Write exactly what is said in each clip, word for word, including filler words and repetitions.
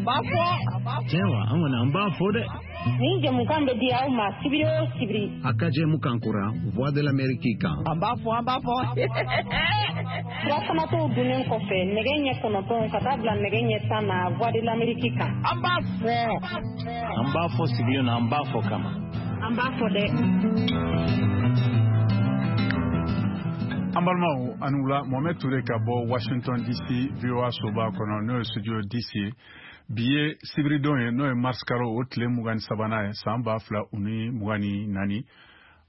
b'a fɔ. Tiɲɛ wa, an kɔni an b'a fɔ dɛ. Nin jɛmukan bɛ di aw ma sibiri o sibiri. A ka jɛmukan kura Voix de l'Amérique kan. An b'a fɔ, an b'a fɔ. Surafanato dunnen kɔfɛ nɛgɛ ɲɛ kɔnɔntɔn ka taa bila nɛgɛ ɲɛ tan na Voix de l'Amérique kan. An b'a fɔ. An b'a fɔ sigilen na, an b'a fɔ kama. An b'a fɔ dɛ. An balimaw, ani wula. Mohamed Touré ka bɔ Washington D C, V O A soba kɔnɔ, n'o ye studio D C ye. Bi ye sibiridon ye, n'o ye mars kalo o tile mugan ni sabanan ye, san ba fila u ni mugan ni naani.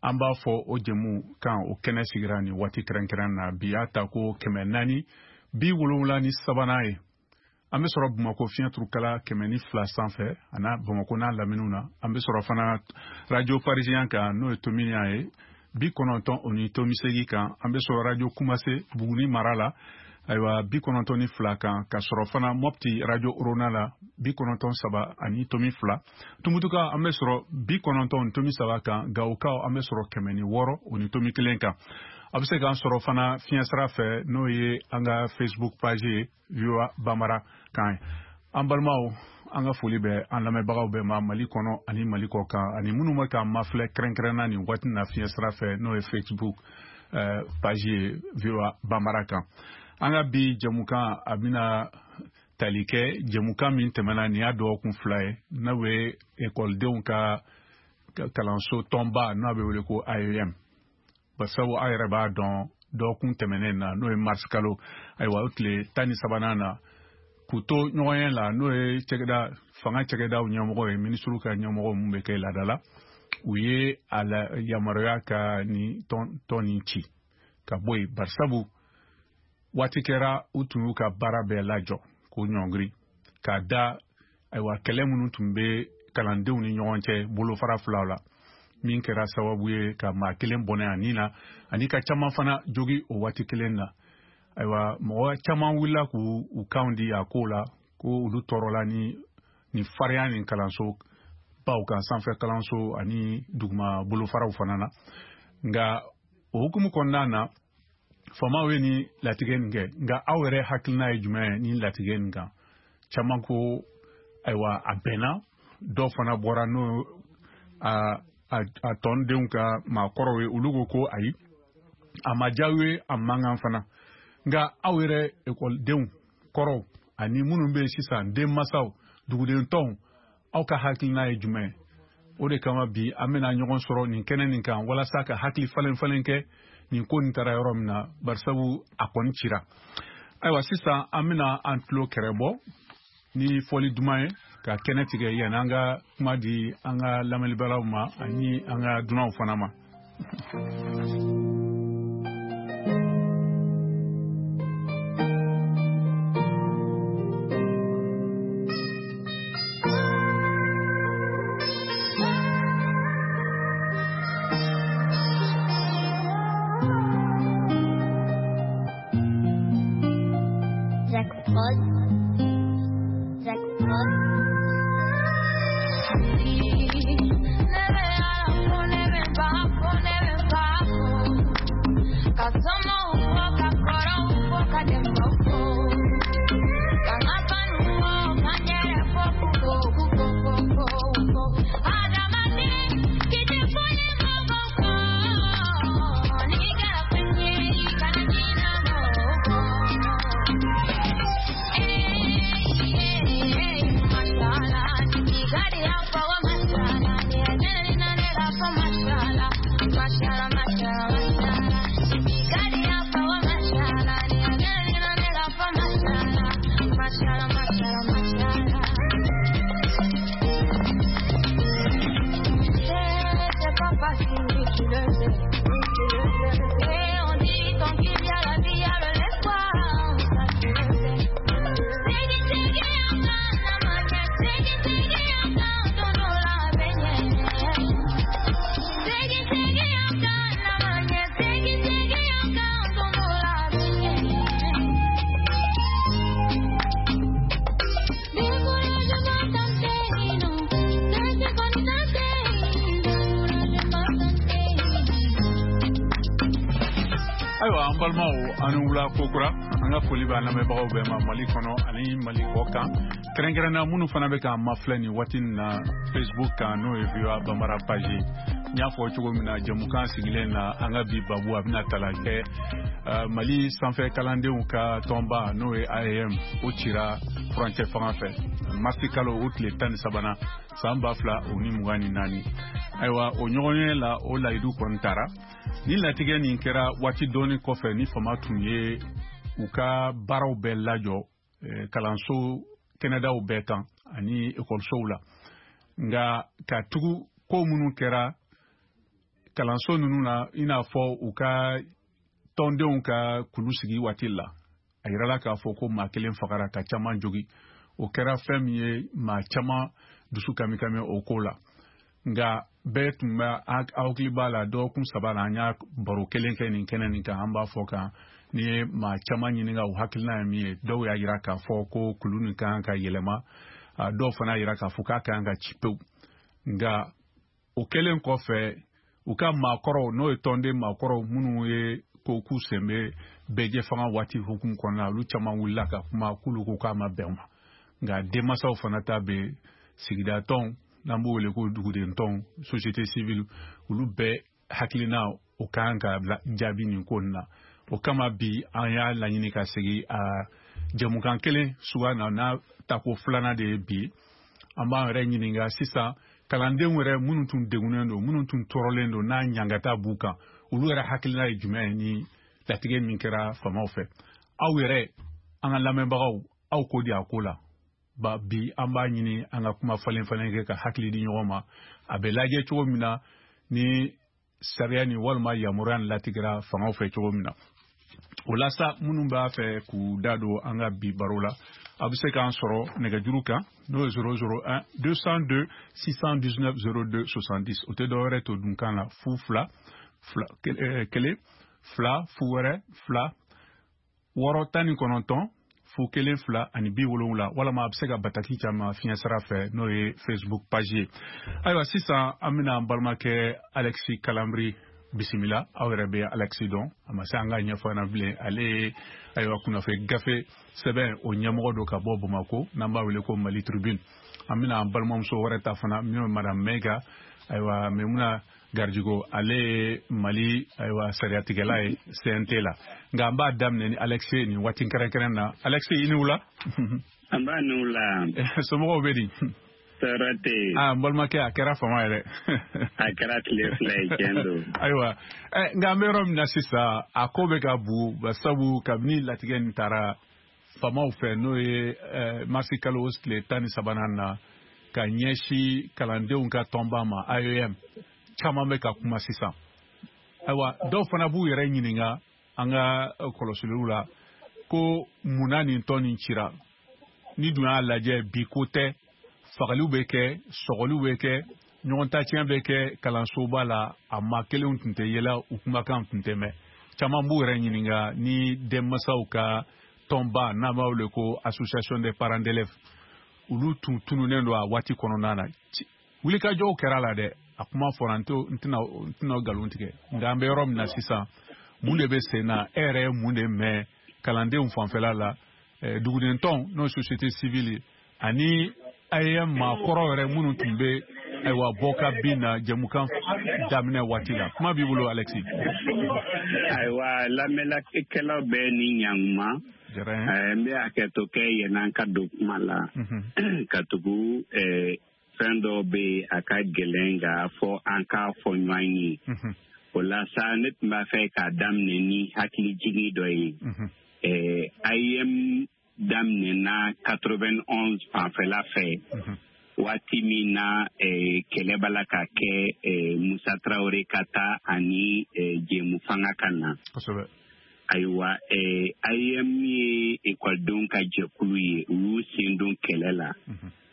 An b'a fɔ o jɛmu kan, o kɛnɛ sigira nin waati kɛrɛnkɛrɛn na. Bi y'a ta ko kɛmɛ naani bi wolonwula ni sabanan ye. An bɛ sɔrɔ Bamako fiɲɛ turukala kɛmɛ ni fila sanfɛ, ana Bamako n'a laminiw na. An bɛ sɔrɔ fana radio parisien kan, n'o ye Tominian ye, bi kɔnɔntɔn o ni tomi seegin kan. An bɛ sɔrɔ radio Kumase Buguni mara la, ayiwa, bi kɔnɔntɔn ni fila kan, ka sɔrɔ fana Mɔpti radio Orona la, bi kɔnɔntɔn saba ani tomi fila. Tumutuka, an bɛ sɔrɔ bi kɔnɔntɔn ni tomi saba kan. Gawokaw, an bɛ sɔrɔ kɛmɛ ni wɔɔrɔ o ni tomi kelen kan. A bɛ se k'an sɔrɔ fana fiɲɛsira fɛ, n'o ye an ka Facebook page ye, V O A Bamara kan. An balimaw, an ka foli bɛ an lamɛnbagaw bɛɛ ma Mali kɔnɔ ani Mali kɔ kan, ani minnu bɛ k'an mafilɛ kɛrɛnkɛrɛnna nin waati na fiɲɛsira fɛ, n'o ye Facebook euh, page ye, V O A Bamara kan. An ka bi jɛmukan, a bɛna tali kɛ jɛmukan min tɛmɛna, nin y'a dɔgɔkun fila ye, n'o ye ekɔlidenw ka kalanso tɔnba, n'a bɛ wele ko A E M. Basabu aw yɛrɛ b'a dɔn, dɔgɔkun tɛmɛnen na, n'o ye mars kalo, ayiwa, o tile tan ni sabanan na, k'u to ɲɔgɔn la, n'o ye cɛkɛda fanga cɛkɛdaw ɲɛmɔgɔ ye, minisiriw ka ɲɛmɔgɔ mun bɛ kɛ laada la, u ye a la yamaruya ka nin tɔn tɔn nin ci ka bɔ yen. Barisabu waati kɛra u tun y'u ka baara bɛɛ lajɔ k'o ɲɔngiri k'a da, ayiwa, kɛlɛ minnu tun bɛ kalandenw ni ɲɔgɔn cɛ bolofara filaw la, min kɛra sababu ye ka maa kelen bɔnɛ a nin na ani ka caman fana jogi o waati kelen na. Ayiwa, mɔgɔ caman wulila k'u u kanw di a ko la, ko olu tɔɔrɔla ni ni farinya nin kalanso baw kan, sanfɛ kalanso ani duguma bolofaraw fana na. Nka o hukumu kɔnɔna na, faamaw ye ni latigɛ nin kɛ. Nka aw yɛrɛ hakilina ye jumɛn ye ni latigɛ nin kan? Caman ko ayiwa, a bɛnna. Dɔw fana bɔra, n'o a a a tɔndenw ka maakɔrɔw ye, olu ko ko ayi, a ma diya u ye, a man kan fana. Nka aw yɛrɛ ekɔlidenw kɔrɔw ani minnu bɛ yen sisan, denmansaw, duguden tɔnw, aw ka hakilina ye jumɛn ye? O de kama bi an bɛna ɲɔgɔn sɔrɔ nin kɛnɛ nin kan, walasa ka hakili falen falen kɛ nin ko nin taara yɔrɔ min na, barisabu a kɔni cira. Ayiwa, sisan an bɛna an tulo kɛrɛ bɔ ni fɔli duman ye ka kɛnɛ tigɛ yanni an ka kuma di an ka lamɛnibalaw ma ani an ka dunanw fana ma. Jack Prod. Jack Prod. Ayiwa, an balimaw, an ni wula kokura. An ka foli b'an lamɛnbagaw bɛɛ ma Mali kɔnɔ ani Mali kɔ kan. Kɛrɛnkɛrɛnna minnu fana bɛ k'an mafilɛ nin waati in na Facebook kan, n'o ye V O A Bambara page ye. N y'a fɔ cogo min na, jɛmukan sigilen na, an ka bi babu a bɛna tala kɛ Mali sanfɛ kalandenw ka tɔnba, n'o ye A E M, o cira furancɛ fanga fɛ marisi kalo o tile tan ni sabanan san ba fila o ni mugan ni naani. Ayiwa, o ɲɔgɔnye la, o layidu kɔni tara. Ni latigɛ nin kɛra waati dɔɔni kɔfɛ ni fama tun ye u ka baaraw bɛɛ lajɔ kalanso kɛnɛdaw bɛɛ kan ani ekɔlisow la. Nka ka tugu ko minnu kɛra kalanso ninnu na, i n'a fɔ u ka tɔndenw ka kulu sigi waati la, a yirala k'a fɔ ko maa kelen fagara ka caman jogi. O kɛra fɛn min ye maa caman dusu kamikami o ko la. Nka bɛɛ tun bɛ hakili b'a la, dɔgɔkun saba la an y'a baro kelen kɛ nin kɛnɛ nin kan. An b'a fɔ kan n'i ye maa caman ɲininka u hakilina ye min ye, dɔw y'a yira k'a fɔ ko kulu nin kan ka yɛlɛma, dɔw fana y'a yira k'a fɔ k'a kan ka ci pewu. Nka o kɛlen kɔfɛ, u ka maakɔrɔw, n'o ye tɔnden maakɔrɔw minnu ye ko k'u sen bɛ bɛɛjɛ fanga waati hukumu kɔnɔna, olu caman wulila ka kuma k'olu ko k'a ma bɛn u ma. Nka denmansaw fana ta bɛ sigida tɔnw, n'an b'o wele ko duguden tɔnw, société civile, olu bɛɛ hakilina o kan ka jaabi nin ko nin na. O kama bi an y'a laɲini ka segin a jɛmukan kelen suguya na, n'a tako filanan de ye bi. An b'an yɛrɛ ɲininka sisan, kalandenw yɛrɛ minnu tun degunnen don, minnu tun tɔɔrɔlen don, n'a ɲangata b'u kan, olu yɛrɛ hakilina ye jumɛn ye ni latigɛ min kɛra faamaw fɛ? Aw yɛrɛ, an ka lamɛnbagaw, aw ko di a ko la? Ba bi an b'a ɲini an ka kuma falen falen kɛ ka hakili di ɲɔgɔn ma, a bɛ lajɛ cogo min na ni sariya ni walima yamaruya ni latigɛra fangaw fɛ cogo min na. O la sa, minnu b'a fɛ k'u da don an ka bi baro la, a bɛ se k'an sɔrɔ nɛgɛjuru kan, n'o ye zéro zéro un deux cent deux six cent dix-neuf zéro deux soixante-dix. O tɛ dɔwɛrɛ to dunkan la, fu fila fila kelen fila fu wɛrɛ fila wɔɔrɔ tan ni kɔnɔntɔn fu kelen fila ani bi wolonwula, walama a bɛ se ka bataki caman fiɲɛ sira fɛ, n'o ye Facebook page ye. Ayiwa, sisan an bɛna an balimakɛ Alexis Kalambry bisimila. Aw yɛrɛ bɛ Alexis dɔn, a ma se an ka ɲɛfɔ na bilen. Ale ye ayiwa kunnafoni gafe sɛbɛn o ɲɛmɔgɔ don ka bɔ Bamakɔ, n'an b'a wele ko Mali Tribune. An bɛna an balimamuso wɛrɛ ta fana, min ye Madame Maiga, ayiwa Maimouna Gardigo, ale ye Mali ayiwa sariyatigɛla ye C N T la. Nka an b'a daminɛ ni Alexis nin waati kɛrɛnkɛrɛn na. Alexis, i ni wula. An b'a ni wula. Somɔgɔw bɛ di? Tɔɔrɔ tɛ yen. Ah, n balimakɛ, a kɛra fama yɛrɛ. A kɛra tile fila ye, tiɲɛ don. Ayiwa, nka an bɛ yɔrɔ min na sisan, a ko bɛ ka bu, sabu kabini latigɛ nin taara faamaw fɛ, n'o ye marisi kalo tile tan ni sabanan na, ka ɲɛsin kalandenw ka tɔnba ma A E M, caman bɛ ka kuma sisan. Ayiwa, dɔw fana b'u yɛrɛ ɲininka an ka kɔlɔsiliw la ko munna nin tɔn nin cira. Ni dun y'a lajɛ, bi ko tɛ, fagaliw bɛ kɛ, sɔgɔliw bɛ kɛ, ɲɔgɔn tacɛn bɛ kɛ kalansoba la, a maa kelenw tun tɛ yɛlɛ, u kumakan tun tɛ mɛn. Caman b'u yɛrɛ ɲininka ni denmansaw ka tɔnba, n'an b'a wele ko association des parents d'élèves, olu tun tununnen don a waati kɔnɔna na. Wulikajɔw kɛra la dɛ, a kuma fɔra, n tɛna n tɛna nkalon tigɛ. Nka an bɛ yɔrɔ min na sisan, mun de bɛ sen na? E yɛrɛ ye mun de mɛn kalandenw fanfɛla la, duguden tɔn, n'o ye société civile ye, ani A E M maakɔrɔ yɛrɛ minnu tun bɛ ayiwa bɔ ka bin na jɛmukan daminɛ waati la? Kuma b'i bolo, Alexis. Ayiwa, lamɛnnikɛlaw bɛɛ ni ɲankuma. N bɛ hakɛto kɛ yann'an ka don kuma la, ka tugu fɛn dɔw bɛ yen a ka gɛlɛn nka fɔ an k'a fɔ ɲɔgɔn ye. O la sa, ne tun b'a fɛ k'a daminɛ ni hakilijigin dɔ ye. A E M daminɛna quatre-vingt-onze fanfɛla fɛ, waati min na kɛlɛ b'a la ka kɛ Musa Traoré ka taa ani Jɛmu fanga ka na. Ayiwa, A E M ye ekɔlidenw ka jɛkulu ye, u y'u sen don kɛlɛ la.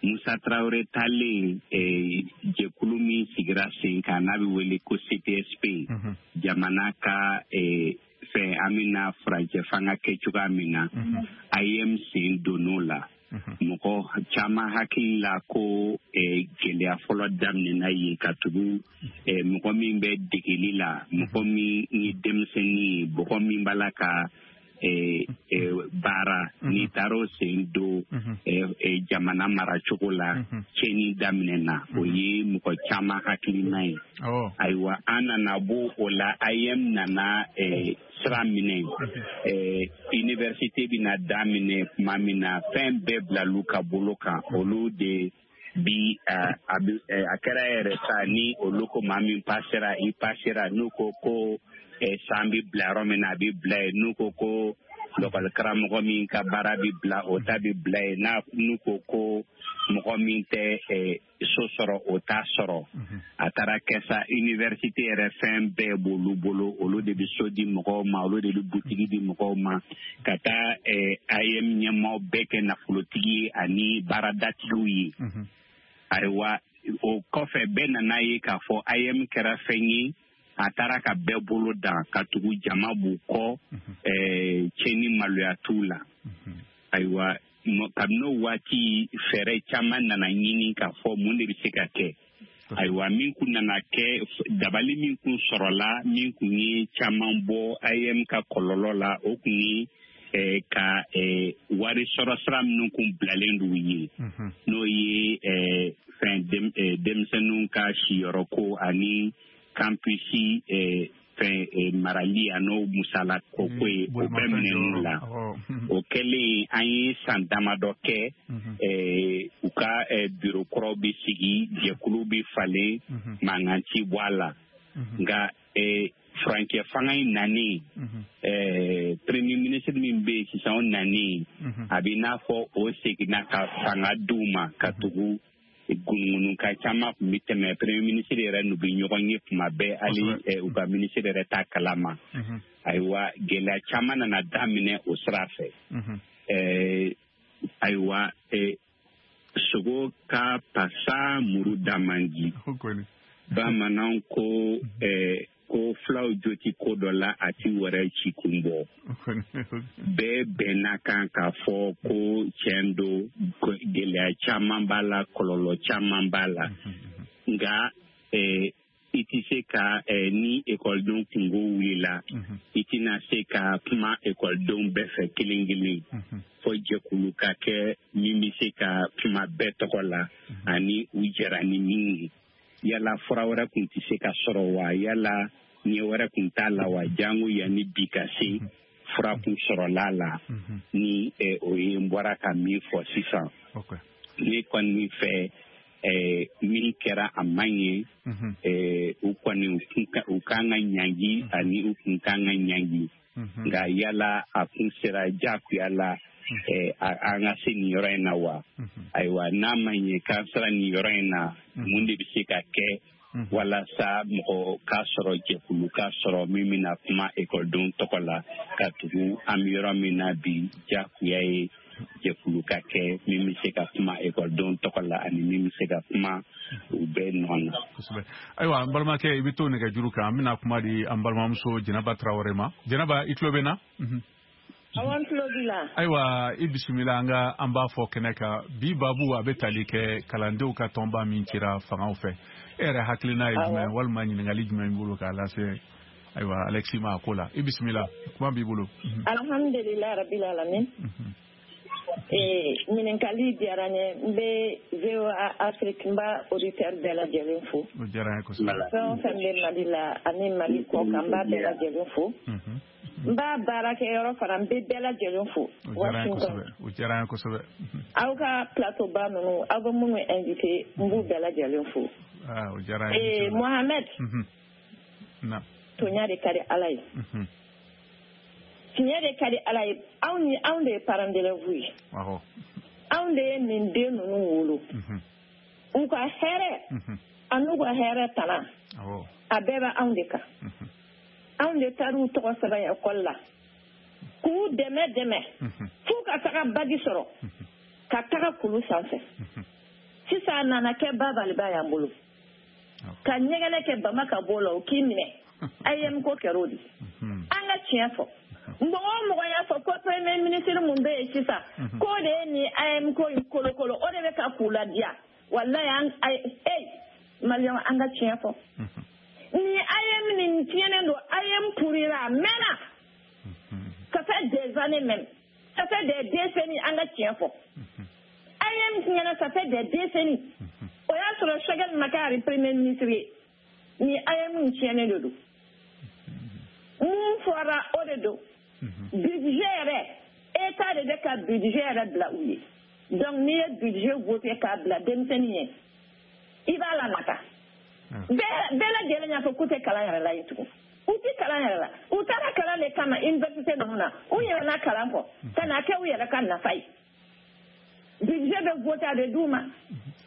Musa Traoré taalen, jɛkulu min sigira sen kan n'a bɛ wele ko C T S P, jamana ka fɛn an bɛna furancɛ fanga kɛ cogoya min na, A E M sen donn'o la. Mɔgɔ caman hakili la ko gɛlɛya fɔlɔ daminɛna yen, ka tugu mɔgɔ min bɛ degeli la, mɔgɔ min ye denmisɛnnin ye, mɔgɔ min b'a la ka baara n'i taara o sen don jamana maracogo la tiɲɛni daminɛna o ye mɔgɔ caman hakilina ye. Ayiwa an nana bɔ o la A E M nana sira minɛ université bɛna daminɛ tuma min na fɛn bɛɛ bilal'u ka bolo kan olu de bi a kɛra yɛrɛ sa ni olu ko maa min pasera i pasera n'u ko ko san bɛ bila yɔrɔ min na a bɛ bila yen n'u ko ko lɔkɔli karamɔgɔ min ka baara bɛ bila o ta bɛ bila yen n'a n'u ko ko mɔgɔ min tɛ so sɔrɔ o t'a sɔrɔ a taara kɛ sa université yɛrɛ fɛn bɛɛ b'olu bolo olu de bɛ so di mɔgɔw ma olu de bɛ butigi di mɔgɔw ma ka taa A E M ɲɛmaaw bɛɛ kɛ nafolotigi ye ani baaradatigiw ye. Ayiwa o kɔfɛ bɛɛ nana ye k'a fɔ A E M kɛra fɛn ye a taara ka bɛɛ bolo dan ka tugu jama b'u kɔ tiɲɛni maloya t'u la. Ayiwa kabini o waati fɛɛrɛ caman nana ɲini k'a fɔ mun de bɛ se ka kɛ. Ayiwa min kun nana kɛ dabali min kun sɔrɔla min kun ye caman bɔ A E M ka kɔlɔlɔ la o kun ye ka wari sɔrɔ sira minnu kun bilalen d'u ye n'o ye fɛn denmisɛnninw ka siyɔrɔ ko ani campus fɛn marali an'o musala ko ko ye o bɛɛ minɛn'u la. O kɛlen an ye san damadɔ kɛ u ka biro kɔrɔw bɛ sigi jɛkulu bɛ falen mankan ti bɔ a la nka furancɛ fanga in nanen premier ministre min bɛ yen sisan o nanen a bɛ n'a fɔ o seginna ka fanga d'u ma ka tugu gunugunukan caman tun bɛ tɛmɛ premier ministre yɛrɛ n'u bɛ ɲɔgɔn ye tuma bɛɛ hali u ka ministre yɛrɛ t'a kalama. Ayiwa gɛlɛya caman nana daminɛ o sira fɛ. Ayiwa sogo ka pasa muru da man di. Bamananw ko ko fulaw jo ti ko dɔ la a ti wɛrɛ ci kun bɔ. Bɛɛ bɛnna kan k'a fɔ ko tiɲɛ don gɛlɛya caman b'a la kɔlɔlɔ caman b'a la nka i tɛ se ka ni ekɔlidenw kungo wulila i tɛna se ka kuma ekɔlidenw bɛɛ fɛ kelen kelen fo jɛkulu ka kɛ min bɛ se ka kuma bɛɛ tɔgɔ la ani u jɛra ni min ye. Yala fura wɛrɛ kun tɛ se ka sɔrɔ wa yala ɲɛ wɛrɛ kun t'a la wa jango yanni bi ka se fura kun sɔrɔla la ni o ye n bɔra ka min fɔ sisan. Ne kɔni fɛ min kɛra a man ɲɛ u kɔni u kan ka ɲangi ani u kun kan ka ɲangi nka yala a kun sera diyagoya la an ka se nin yɔrɔ in na wa. Ayiwa n'a ma ɲɛ k'an sera nin yɔrɔ in na mun de bɛ se ka kɛ walasa mɔgɔ k'a sɔrɔ jɛkulu k'a sɔrɔ min bɛna kuma ekɔlidenw tɔgɔ la ka tugu an bɛ yɔrɔ min na bi diyagoya ye jɛkulu ka kɛ min bɛ se ka kuma ekɔlidenw tɔgɔ la ani min bɛ se ka kuma u bɛɛ nɔ na. Kosɛbɛ. Ayiwa n balimakɛ i bɛ to nɛgɛjuru kan an bɛna kuma di an balimamuso Jɛnɛba Tarawele ma. Jɛnɛba i tulo bɛ n na? Awɔ n tulo b'i la. Ayiwa i bisimila an ka an b'a fɔ kɛnɛ kan bi babu a bɛ tali kɛ kalandenw ka tɔnba min cira fangaw fɛ e yɛrɛ hakilina ye jumɛn walima ɲininkali jumɛn b'i bolo k'a lase ayiwa Alexis ma a ko la i bisimila kuma b'i bolo. Alhamdulilayi rabil alamin. Ee ɲininkali diyara n ye n bɛ V O A Afrique n b'a auditeur bɛɛ lajɛlen fo. O diyara n ye kosɛbɛ. Fɛn o fɛn bɛ Mali la ani Mali kɔ kan n b'a bɛɛ lajɛlen fo. N b'a baarakɛyɔrɔ fana n bɛ bɛɛ lajɛlen fo. O diyara n ye kosɛbɛ. O diyara n ye kosɛbɛ. Aw ka plateau ba ninnu aw bɛ minnu invité n b'u bɛɛ lajɛlen fo. Aa o diyara n ye. Ee Mohamed. Na. Toɲa de ka di Ala ye. Tiɲɛ de ka di Ala ye anw ni anw de ye parents d'élèves ye. Awɔ. Anw de ye nin den ninnu wolo. U ka hɛrɛ. An'u ka hɛrɛ tana. Awɔ. A bɛɛ bɛ anw de kan. Anw de taar'u tɔgɔ sɛbɛn ekɔli la k'u dɛmɛ dɛmɛ f'u ka taga bagi sɔrɔ ka taga kulu sanfɛ sisan a nana kɛ babaliba y'an bolo ka ɲɛgɛnɛ kɛ bama ka bɔ o la o k'i minɛ A E M ko kɛra o de an ka tiɲɛ fɔ mɔgɔ o mɔgɔ y'a fɔ ko premier ministre mun bɛ yen sisan k'o de ye nin A E M ko in kolokolo o de bɛ ka k'u ladiya walayi an e maliyɛnw an ka tiɲɛ fɔ. Ni A E M nin tiɲɛnen don A E M pourira a mɛnna ka fait des années même, ça fait des décennies an ka tiɲɛ fɔ. A E M tiɲɛna, ça fait des décennies. O y'a sɔrɔ Choguel ma kɛ hali premier ministre ye. Ni A E M in tiɲɛnen de don. Mun fɔra o de don. Budget yɛrɛ, État de bɛ ka budget yɛrɛ bila u ye. Donc n'i ye budget voté k'a bila denmisɛnnin ye, i b'a lanata. Bɛɛ bɛɛ lajɛlen y'a fɔ k'u tɛ kalan yɛrɛ la yen tugun. U tɛ kalan yɛrɛ la. U taara kalan de kama université ninnu na. U ɲinɛna kalan kɔ ka n'a kɛ u yɛrɛ ka nafa ye. Budget bɛ voté a bɛ d'u ma.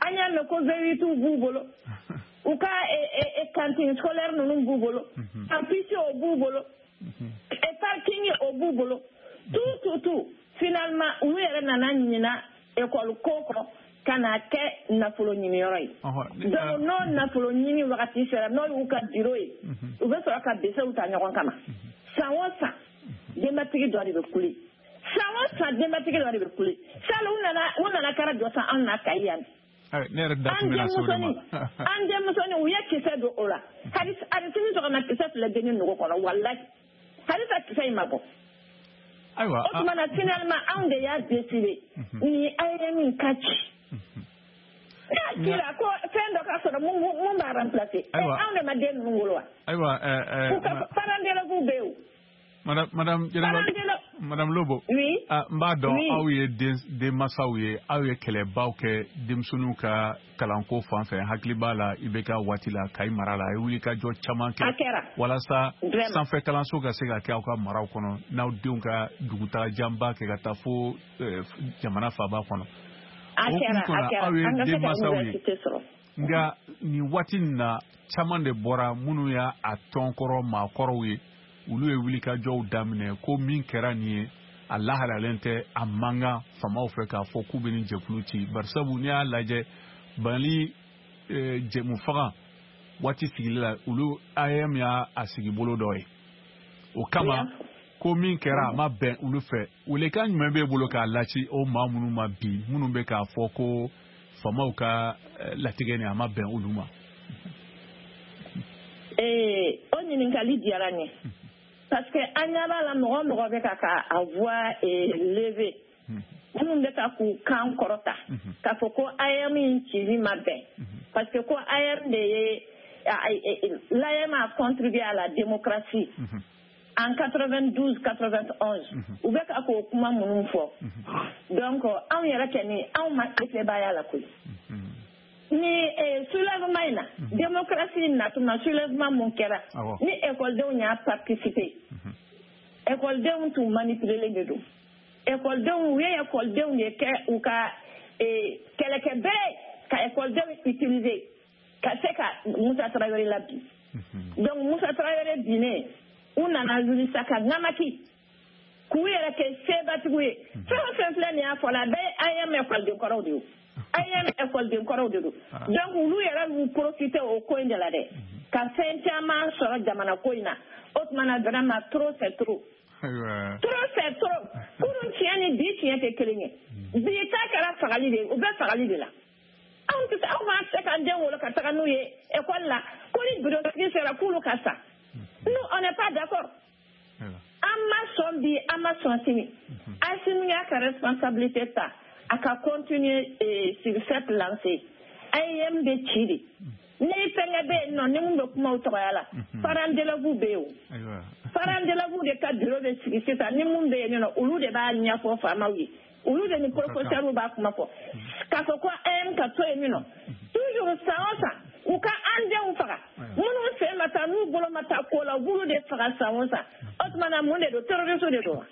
An y'a mɛn ko V huit b'u bolo. U ka cantine scolaire ninnu b'u bolo. Campus o b'u bolo. Parking o b'u bolo. Tout tout tout. Finalement olu yɛrɛ nana ɲina école ko kɔ ka n'a kɛ nafolo ɲiniyɔrɔ ye. Donc n'o nafolo ɲini wagati sera, n'o y'u ka bureau ye, u bɛ sɔrɔ ka besew ta ɲɔgɔn kama. San o san denbatigi dɔ de bɛ kule. San o san denbatigi dɔ de bɛ kule. Sali u nana u nana kɛra jɔ san anw na Kayi yan. Ne yɛrɛ da tun bɛna se o de ma. An denmusonin u ye kisɛ don o la. Hali hali sini sɔgɔma kisɛ filɛ denni nogo kɔnɔ walahi. Halisa kisɛ in ma bɔ. Ayiwa. O tuma na finalement anw de y'a décidé. Ni A E M in ka ci. N'a cira ko fɛn dɔ ka sɔrɔ mun mun b'a remplacer. Anw de ma den ninnu wolo wa? Ayiwa ɛɛ. U ka parents d'élèves bɛ yen o. Madame Madame Madame Lobo. Oui. Ah, n b'a dɔn aw ye den denmansaw ye, aw ye kɛlɛbaw kɛ denmisɛnninw ka kalanko fan fɛ. Hakili b'a la I B K waati la Kayi mara la, a ye wulikajɔ caman kɛ. A kɛra. Walasa sanfɛ kalanso ka se ka kɛ aw ka maraw kɔnɔ, n'aw denw ka dugutaga janba kɛ ka taa fo jamana faaba kɔnɔ. A kɛra, a kɛra. Aw ye denmansaw ye. Nka nin waati in na caman de bɔra minnu y'a tɔn kɔrɔ maakɔrɔw ye. Olu ye wulikajɔw daminɛ ko min kɛra nin ye a lahalalen tɛ, a man kan faamaw fɛ k'a fɔ k'u bɛ nin jɛkulu ci. Barisabu n'i y'a lajɛ Mali jɛmufaga waati sigili la, olu A E M y'a sigi bolo dɔ ye. O kama ko min kɛra a ma bɛn olu fɛ. Welekan jumɛn b'e bolo k'a lase o maa minnu ma bi, minnu bɛ k'a fɔ ko faamaw ka latigɛ nin a ma bɛn olu ma? Ee, o ɲininkali diyara n ye. Parce que an ɲɛ b'a la mɔgɔ mɔgɔ bɛ ka ka a voix lever, minnu bɛ ka k'u kan kɔrɔta k'a fɔ ko A E M in cili ma bɛn, parce que ko A E M de ye l'A E M a contribué à la démocratie en quatre-vingt-douze quatre-vingt-onze. U bɛ ka k'o kuma minnu fɔ. Donc anw yɛrɛ kɔni anw ma sebaaya la koyi. Ni soulèvement in na, démocratie natuma soulèvement mun kɛra, ni écoledenw y'a participer, écoledenw tun manipulélen de don. Écoledenw u ye écoledenw de kɛ u ka kɛlɛkɛbere ka écoledenw utiliser ka se ka Musa Tarawele labin. Donc Musa Tarawele binnen, u nana wuli sa ka ŋamaki k'u yɛrɛ kɛ sebatigiw ye. Fɛn o fɛn filɛ nin y'a fɔ la, a bɛɛ ye A E M écoleden kɔrɔw de ye. A E M écoleden kɔrɔw de don. Donc olu yɛrɛ y'u profiter o ko in de la dɛ, ka fɛn caman sɔrɔ jamana ko in na. O tuma na vraiment trop c'est trop. Trop c'est trop. Kunun tiɲɛ ni bi tiɲɛ tɛ kelen ye. Bi ta kɛra fagali de ye, u bɛ fagali de la. Anw tɛ se, anw b'a se k'an den wolo ka taga n'u ye école la ko ni bureau sera k'olu ka sa. Nous on n'est pas d'accord. An ma sɔn bi, an ma sɔn sini. Assimi y'a ka responsabilité ta. A ka continuer eh, sur cette lancée. A E M bɛ ci de. Ni fɛnkɛ bɛ yen nɔ, ni mun bɛ kuma o tɔgɔya la, parents d'élèves bɛ yen o. Parents d'élèves de ka bureau bɛ sigi sisan, ni mun bɛ yen nɔ, olu de b'a ɲɛfɔ faamaw ye. Olu de ni professeurs b'a kuma fɔ. K'a fɔ ko A E M ka to yen nɔ. Toujours san o san, u ka an denw faga. Minnu sen ma taa, n'u bolo ma taa ko la, u b'olu de faga san o san. O tuma na mun de don? Terroriste de don wa?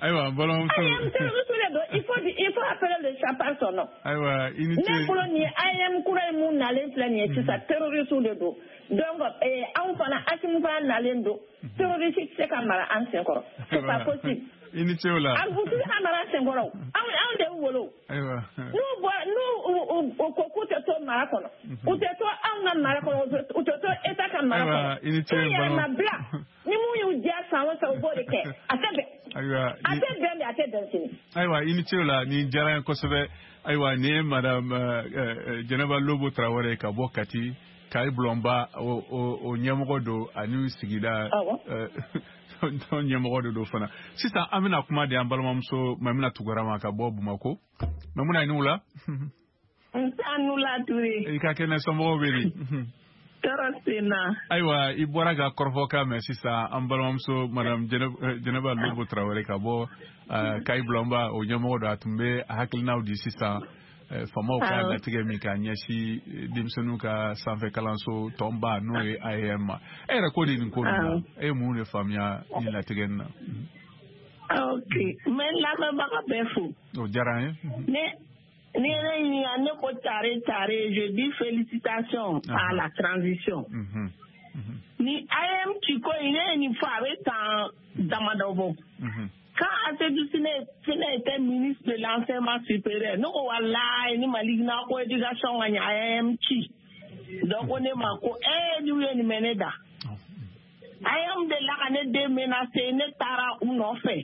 Ayiwa, balimamuso. A E M terroriste de don, il faut il faut appeler le chat par son nom. Ayiwa, i ni ce. Ne bolo nin ye A E M kura ye mun nalen filɛ nin ye sisan, terroriste de don. Donc anw fana Assimi fana nalen don, terroriste tɛ se ka mara an sen kɔrɔ. C'est pas possible. I ni ce o la. A u tɛ se ka mara an sen kɔrɔ o. Anw anw de y'u wolo. Ayiwa. N'u bɔra n'u u ko k'u tɛ to mara kɔnɔ, u tɛ to anw ka mara kɔnɔ, u tɛ to État ka mara kɔnɔ. Ayiwa, i ni ce. K'u yɛrɛ ma bila. Ni mun y'u diya san o san, u b'o de kɛ. A tɛ bɛn. Ayiwa. A tɛ bɛn de, a tɛ bɛn sini. Ayiwa, i ni ce o la, nin diyara n ye kosɛbɛ. Ayiwa, nin ye madame Jɛnɛba Lobo Tarawele ka bɔ Kati. Kayi Bulɔnba o o ɲɛmɔgɔ don ani sigida tɔn ɲɛmɔgɔ de don fana. Sisan an bɛna kuma di an balimamuso Mamina Tunkara ma ka bɔ Bamakɔ. Mamina, i ni wula. Nse wula Ture. I ka kɛnɛ, somɔgɔw bɛ di? Tɔɔrɔ sen na. Ayiwa, i bɔra ka kɔrɔfɔkan mɛn sisan an balimamuso madame Jɛnɛba Lobo Tarawele ka bɔ Kayi Bulɔnba o ɲɛmɔgɔ don, a tun bɛ hakilinaw di sisan faamaw ka latigɛ min ka ɲɛsin denmisɛnninw ka sanfɛ kalanso tɔnba n'o ye A E M ma. E yɛrɛ ko de nin ko ninnu na, e ye mun de faamuya nin latigɛ nin na? Ok, n bɛ n lamɛnbaga bɛɛ fo. O diyara n ye. Ne ni ye ne ɲininka, ne ko tare tare, je dis félicitations à la transition. Ni A E M ci ko in, ne ye nin fɔ a bɛ san damadɔ bɔ. Quand Assédou Sine était ministre de l'enseignement supérieur, ne ko walayi ni Mali n'a ko éducation ka ɲɛ A E M ci. Donc ko ne ma ko ee n'u ye nin mɛn ne da. A E M delila ka ne den menacé, ne taara u nɔfɛ.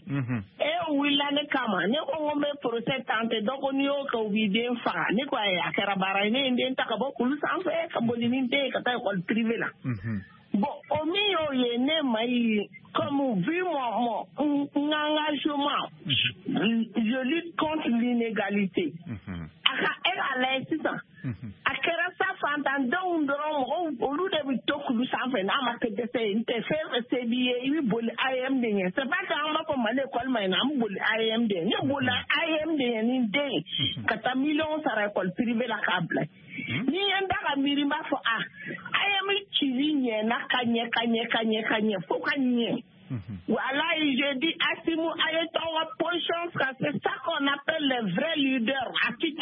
E wulila ne kama, ne ko n ko n bɛ procès tenter, donc n'i y'o kɛ u b'i den faga. Ne ko ayi, a kɛra baara ye, ne ye n den ta ka bɔ kulu sanfɛ ka boli ni n den ye ka taa école privée la. Bon, o min y'o ye, ne ma ye comme vu mon, mon engagement, je lutte contre l'inégalité. A ka e k'a lajɛ sisan, a kɛra sa fantandenw dɔrɔn, mɔgɔw olu de bɛ to kulu sanfɛ n'a ma kɛ dɛsɛ ye. N tɛ fɛn fɛn se b'i ye, i bɛ boli A E M de ɲɛ. C'est pas que an b'a fɔ Mali école ma ɲi, an bɛ boli A E M de ɲɛ. Ne bolila A E M de ɲɛ ni n den ye ka taa miliyɔn sara école privée la k'a bila. Ni ye n da ka miiri, n b'a fɔ a A E M cili ɲɛna ka ɲɛ ka ɲɛ ka ɲɛ ka ɲɛ fo ka ɲɛ. Voilà, je dis Assimi, allez ton position, c'est ça qu'on appelle les vrais leaders. À qui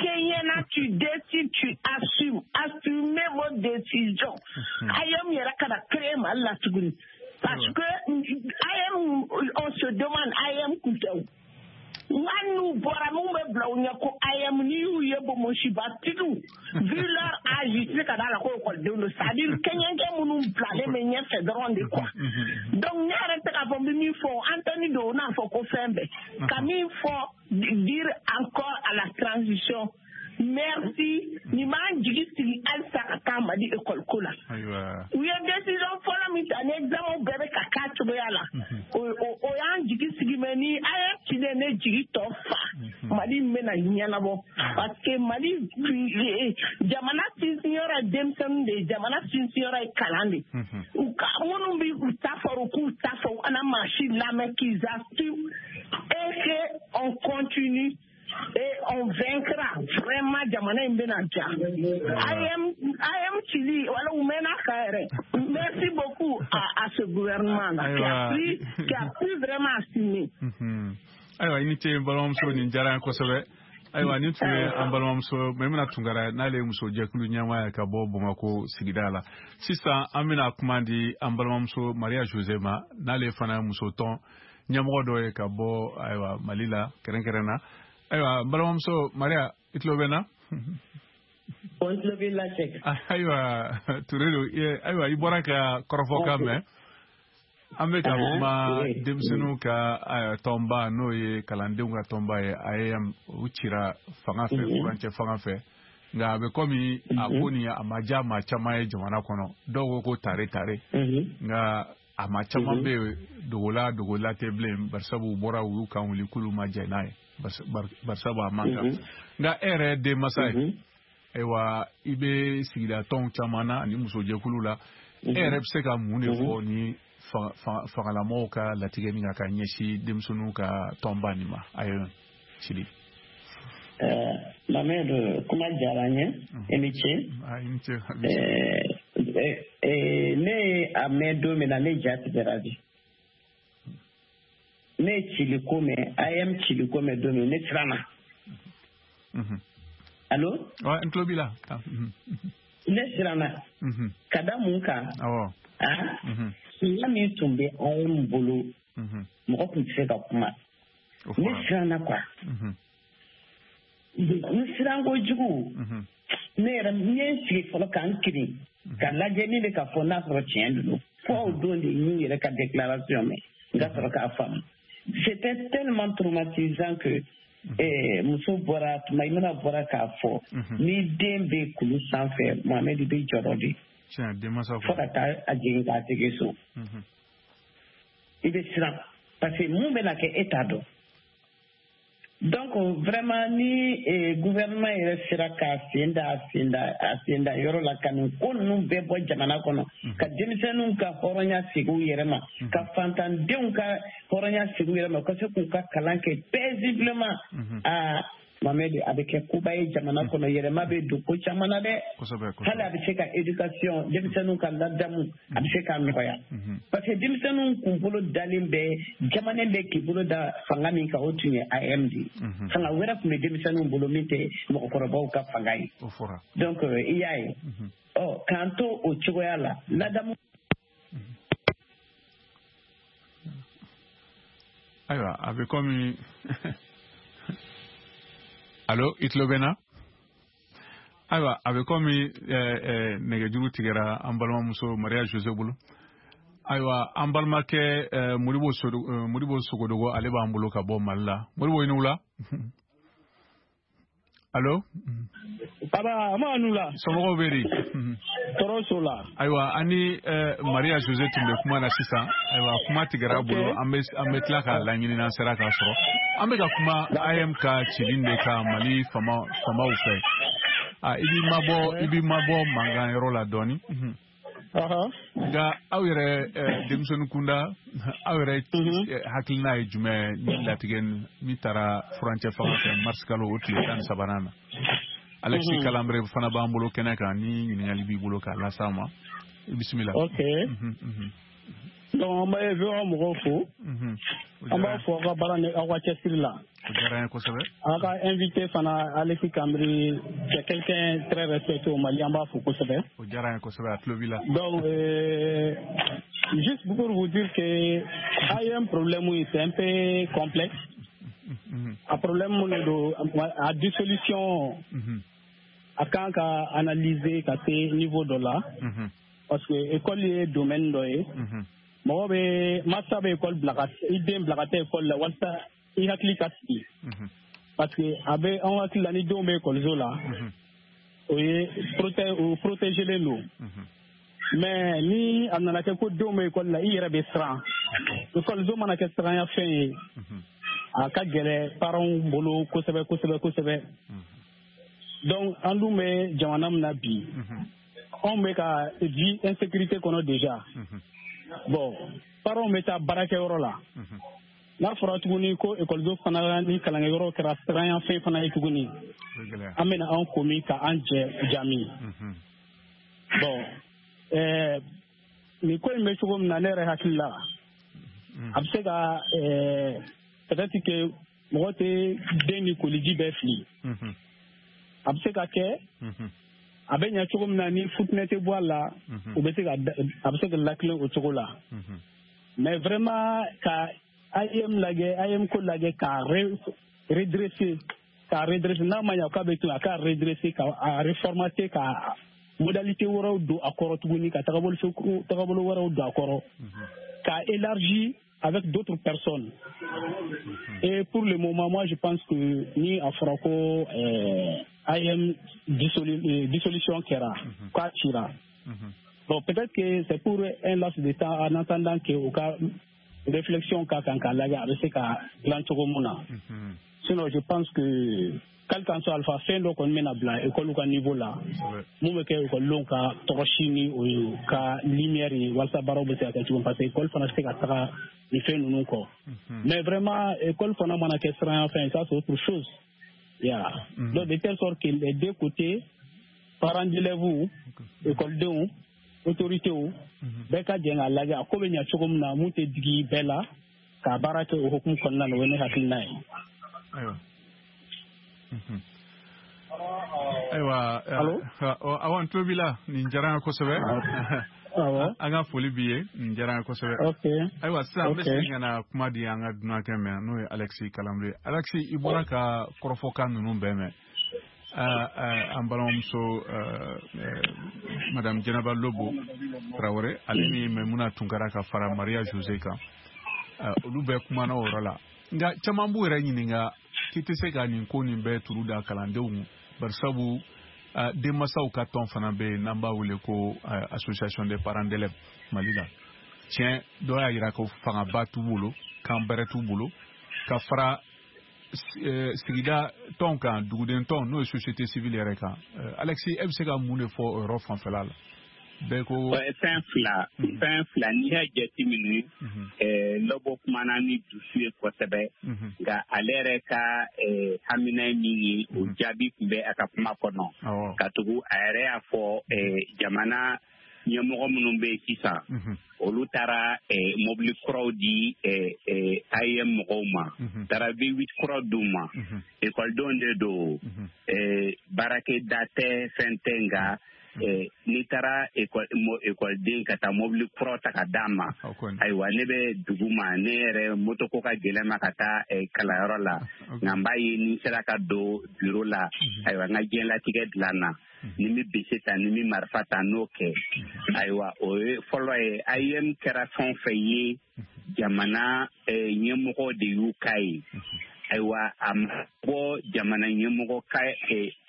tu décides, tu assumes. Assumez vos décisions. Ayem yɛrɛ kana créer Mali la tuguni. Parce que A E M, on se demande A E M kun tɛ o. Nka n'u bɔra mun bɛ bila u ɲɛ ko A E M, n'i y'u ye bonbonsibatigiw, vu leur âge, i tɛ se ka d'a la ko ekɔlidenw don. C'est à dire kɛɲɛkɛ minnu bilalen bɛ ɲɛfɛ dɔrɔn de quoi. Donc ne yɛrɛ tɛ k'a fɔ n bɛ min fɔ, Antoni don, o n'a fɔ ko fɛn bɛɛ. Ka min fɔ, dire encore à la transition, merci, nin b'an jigi sigi halisa ka taa Mali école ko la. U ye décision fɔlɔ min ta ni examen bɛɛ bɛ ka k'a cogoya la, o y'an jigi sigi, mais ni A E M cilen ne jigi tɔ fa, Mali bɛna ɲɛnabɔ. Parce que Mali jamana sinsinyɔrɔ ye denmisɛnninw de ye, jamana sinsinyɔrɔ ye kalan de ye. U ka minnu bɛ u ta fɔ, u k'u ta fɔ, u kana maa si lamɛn, qu'ils assument et que on continue. Et on vaincra vraiment jamana in bɛna ja. A E M A E M cili wala u mɛnna ka yɛrɛ. Merci beaucoup à, à ce gouvernement là qui a pris qui a pu vraiment assumer. Ayiwa, i ni ce balimamuso, nin diyara n ye kosɛbɛ. Ayiwa, nin tun ye an balimamuso Maimuna Tunkara, n'ale ye muso jɛkulu ɲɛmaa ye ka bɔ Bamakɔ sigida la. Sisan an bɛna kuma di an balimamuso Maria Jose ma, n'ale fana ye muso tɔn ɲɛmɔgɔ dɔ ye ka bɔ ayiwa Mali la kɛrɛnkɛrɛn na. Ayiwa, balimamuso Maria, i tulo bɛ n na? N tulo b'i la Sɛki. Ayiwa, Ture don. Ayiwa, i bɔra ka kɔrɔfɔkan mɛn. An bɛ ka kuma denmisɛnninw ka tɔnba n'o ye kalandenw ka tɔnba ye A E M, u cira fanga fɛ, furancɛ fanga fɛ. Nka a bɛ komi a ko nin a ma diya maa caman ye jamana kɔnɔ. Dɔw ko ko tare tare. Nka a maa caman bɛ yen dogola dogola tɛ bilen, barisabu u bɔra u y'u kan wuli k'olu ma jɛn n'a ye. Barisabu a man kan. Nka e yɛrɛ ye denmansa ye, ayiwa, i bɛ sigida tɔnw caman na ani musojɛkulu la, e yɛrɛ bɛ se ka mun de fɔ ni fangalamɔgɔw ka latigɛ min kan ka ɲɛsin denmisɛnninw ka tɔnba nin ma? Ayiwa, Sidi. Mohamed, kuma diyara n ye, i ni ce. I ni ce. Ne ye a mɛn don min na, ne ja tigɛra de. Ne ye cili ko mɛn, A E M cili ko mɛn don min, ne siranna. Allo? Ouais, n tulo b'i la. Ne siranna. Ka da mun kan? Awɔ. Ah? Sunya min tun bɛ A E M bolo, mɔgɔ tun tɛ se ka kuma. Ne siranna quoi. N siran kojugu. Ne yɛrɛ n ye n sigi fɔlɔ ka n kirin, ka lajɛ min bɛ ka fɔ n'a sɔrɔ tiɲɛ don. Fo o don de n y'u yɛrɛ ka déclaration mɛn, n ka sɔrɔ k'a faamu. C'était tellement traumatisant que eh, muso bɔra tuma i mana bɔra k'a fɔ ni den bɛ kulu sanfɛ, Mohamed bɛ jɔrɔ de. Fo ka taa a jigin k'a segin so. I bɛ siran parce que mun bɛna kɛ e t'a dɔn. Donc vraiment ni eh, gouvernement yɛrɛ sera k'a sen da a sen da a sen da yɔrɔ la ka nin ko ninnu bɛɛ bɔ jamana kɔnɔ, ka denmisɛnninw ka hɔrɔnya segin u yɛrɛ ma, ka fantandenw ka hɔrɔnya segin u yɛrɛ ma, ka se k'u ka kalan kɛ paisiblement, aa Mohamed, a bɛ kɛ koba ye jamana kɔnɔ, yɛlɛma bɛ don ko caman na dɛ. Hali a bɛ se ka éducation, denmisɛnninw ka ladamu, a bɛ se k'a nɔgɔya. Parce que denmisɛnninw kunkolo dalen bɛ, jamanen bɛ k'i bolo da fanga min kan, o tun ye A M de ye. Fanga wɛrɛ tun bɛ denmisɛnninw bolo min tɛ mɔgɔkɔrɔbaw ka fanga ye. Donc i y'a ye, ɔ k'an to o cogoya la, ladamu. Ayiwa, a bɛ komi. Allo, i tulo bɛ n na? Ayiwa, a bɛ komi nɛgɛjuru tigɛra an balimamuso Maria Jose bolo. Ayiwa, an balimakɛ Modibo Modibo Sogodogo, ale b'an bolo ka bɔ Mali la. Modibo, i ni wula. Allo? Aba, an b'a nu la. Somɔgɔw bɛ di? Tɔɔrɔ s'o la. Ayiwa, an ni Maria Jose tun bɛ kuma na sisan. Ayiwa, kuma tigɛra a bolo. An bɛ an bɛ tila k'a laɲini n'an sera k'a sɔrɔ. An bɛ ka kuma A M ka cili de kan Mali fama famaw fɛ. A i b'i mabɔ i b'i mabɔ mankan yɔrɔ la dɔɔni. Nka aw yɛrɛ denmisɛnnin kunda, aw yɛrɛ hakilina ye jumɛn ni latigɛ min taara furancɛ fanga fɛ mars kalo o tile tan ni sabanan na? Alexis Kalambre fana b'an bolo kɛnɛ kan, ni ɲininkali b'i bolo k'a las'a ma. Bisimila. Ok. Donc an bɛ V O A mɔgɔw fo. An b'a fɔ aw ka baara ni aw ka cɛsiri la. O diyara an ye kosɛbɛ. Aw ka invité fana Alexis Kambre, c'est quelqu'un très respecté au Mali, an b'a fo kosɛbɛ. O diyara an ye kosɛbɛ, a tulo b'i la. Donc euh, juste pour vous dire que A M problème c'est un peu complexe. A problème mun don, a dissolution a kan ka analyser ka se niveau dɔ la. Parce que école ye domaine dɔ ye. Mɔgɔ bɛ masa bɛ école bila ka i den bila ka taa école la walasa i hakili ka sigi. Parce que a bɛ anw hakili la ni denw bɛ école la, o ye proté o protégelen don. Mais ni a nana kɛ ko denw bɛ école la, i yɛrɛ bɛ siran. École mana kɛ siranya fɛn ye, a ka gɛlɛn parents bolo kosɛbɛ kosɛbɛ kosɛbɛ. Donc an dun bɛ jamana min na bi, anw bɛ ka vie insécurité kɔnɔ déjà. Bon, parents bɛ taa baarakɛyɔrɔ la. N'a fɔra tuguni ko école fana ni kalankɛyɔrɔ kɛra siranya fɛn fana ye tuguni, an bɛna an komi ka an jɛ jami. Bon, ɛɛ nin ko in bɛ cogo min na, ne yɛrɛ hakili la, a bɛ se ka ɛɛ peut-être que mɔgɔ tɛ den ni koliji bɛɛ fili. A bɛ se ka kɛ a bɛ ɲɛ cogo min na ni futinɛ tɛ bɔ a la, o bɛ se ka a bɛ se ka lakilen o cogo la. Mais vraiment ka A M lajɛ, A M ko lajɛ k'a redresser, k'a redresser, n'a ma ɲɛ k'a bɛ to a k'a redresser, k'a reformater, ka modalité wɛrɛw don a kɔrɔ tuguni, ka tagabolo tagabolo wɛrɛw don a kɔrɔ, k'a élargir avec d'autres personnes. Et pour le moment, moi je pense que ni a fɔra ko euh, A M dissolu, dissolution kɛra, k'a cira. Bon, peut-être que c'est pour un laps de temps en attendant que o ka réflexion ka kan k'a lajɛ a bɛ se ka dilan cogo mun na. Sinon je pense que quel qu'en soit alpha, fɛn dɔ kɔni bɛna bila école ka niveau la, mun bɛ kɛ école ka tɔgɔsi ni o ye ka lumière ye walasa baaraw bɛ se ka kɛ cogo min, parce que école fana tɛ se ka taga nin fɛn ninnu kɔ. Mais vraiment école fana mana kɛ siranya fɛn, ça c'est autre chose. Yeah. Mm -hmm. Donc de telle sorte que les deux côtés, parents d'élèves, école denw, autorités, bɛɛ ka jɛ k'a lajɛ a ko bɛ ɲɛ cogo min na, mun tɛ digi bɛɛ la, k'a baara kɛ o hukumu kɔnɔna na, o ye ne hakilina ye. Ayiwa. Ayiwa. Awa, n tulo b'i la, nin diyara n ye kosɛbɛ. An ka foli b'i ye, nin diyara n ye kosɛbɛ. Ayiwa, sisan an bɛ segin ka na kuma di an ka dunankɛ mɛn, n'o ye Alexis Kalambre. Alexis, i bɔra ka kɔrɔfɔkan ninnu bɛɛ mɛn. An balimamuso Madame Jɛnɛba Lobo Tarawele, ale ni Maimuna Tunkara ka fara Maria Jose kan, olu bɛɛ kumana o yɔrɔ la. Nka caman b'u yɛrɛ ɲininka k'i tɛ se ka nin ko nin bɛɛ turu da kalandenw, barisabu Denmansaw ka tɔn fana bɛ yen n'an b'a wele ko Association des parents d'élèves Mali la. Tiɲɛ, dɔw y'a jira ko fangaba t'u bolo, kan bɛrɛ t'u bolo, ka fara sigida tɔn kan, duguden tɔn, n'o ye société civile yɛrɛ kan. Alexis, e bɛ se ka mun de fɔ o yɔrɔ fanfɛla la? Bɛɛ ko fɛn fila, fɛn fila n'i y'a jateminɛ, Lɔbɔ kumana ni dusu ye kosɛbɛ, nka ale yɛrɛ ka hamina ye min ye, o jaabi tun bɛ a ka kuma kɔnɔ, ka tugu a yɛrɛ y'a fɔ jamana ɲɛmɔgɔ minnu bɛ yen sisan, olu taara mobili kuraw di A E M mɔgɔw ma, taara V huit kuraw d'u ma. Ekɔlidenw de don, baarakɛda tɛ, fɛn tɛ, nka n'i taara ekɔliden ka taa mobili kuraw ta ka d'a ma, ayiwa, ne bɛ dugu ma, ne yɛrɛ moto ko ka gɛlɛn ma ka taa kalanyɔrɔ la, nka n b'a ye ni n sera ka don biro la, ayiwa, n ka diɲɛlatigɛ dilan na, ni n bɛ bese ta, ni n bɛ marifa ta, n'o kɛ. Ayiwa, o ye fɔlɔ ye. A E M kɛra fɛn o fɛn ye, jamana ɲɛmɔgɔ de y'u ka ye. Ayiwa, a ma bɔ jamana ɲɛmɔgɔ ka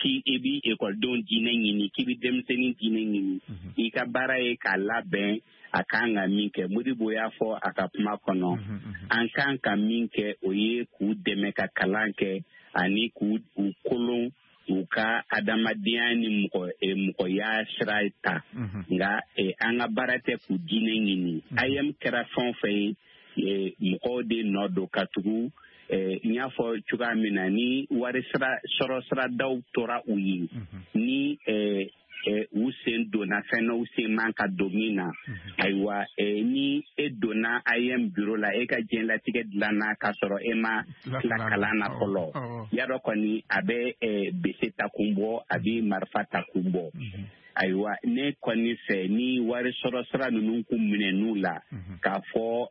k'i i bɛ ekɔlidenw diinɛ ɲini, k'i bɛ denmisɛnnin diinɛ ɲini, i ka baara ye k'a labɛn a kan ka min kɛ. Modibo y'a fɔ a ka kuma kɔnɔ, an kan ka min kɛ, o ye k'u dɛmɛ ka kalan kɛ ani k'u kolon u ka adamadenya ni mɔgɔ mɔgɔya sira ta, nka an ka baara tɛ k'u diinɛ ɲini. A E M kɛra fɛn o fɛn ye, mɔgɔw de nɔ don, ka tugu n y'a fɔ cogoya min na, ni wari sira sɔrɔ siradaw tora u ye, ni u sen donna fɛn na, u sen man ka don min na. Ayiwa, ni e donna A E M bureau la, e ka diɲɛlatigɛ dilanna k'a sɔrɔ e ma tila kalan na fɔlɔ, yadɔ kɔni a bɛ bese ta kun bɔ, a bɛ marifa ta kun bɔ. Ayiwa, ne kɔni fɛ, ni wari sɔrɔ sira ninnu kun minɛn'u la, k'a fɔ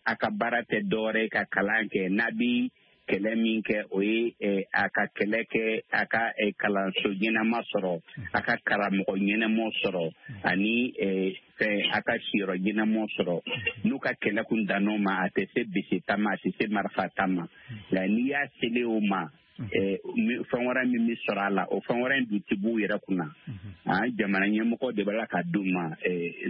a ka baara tɛ dɔwɛrɛ ye ka kalan kɛ, n'a bi kɛlɛ min kɛ, o ye a ka kɛlɛ kɛ a ka kalanso ɲɛnama sɔrɔ, a ka karamɔgɔ ɲɛnamaw sɔrɔ, ani fɛn a ka siyɔrɔ ɲɛnamaw sɔrɔ. N'u ka kɛlɛ kun dann'o ma, a tɛ se bese ta ma, a tɛ se marifa ta ma. Nka n'i y'a selen o ma, fɛn wɛrɛ min bɛ sɔrɔ a la, o fɛn wɛrɛ in dun tɛ b'u yɛrɛ kunna. Jamana ɲɛmɔgɔ de b'a la ka d'u ma.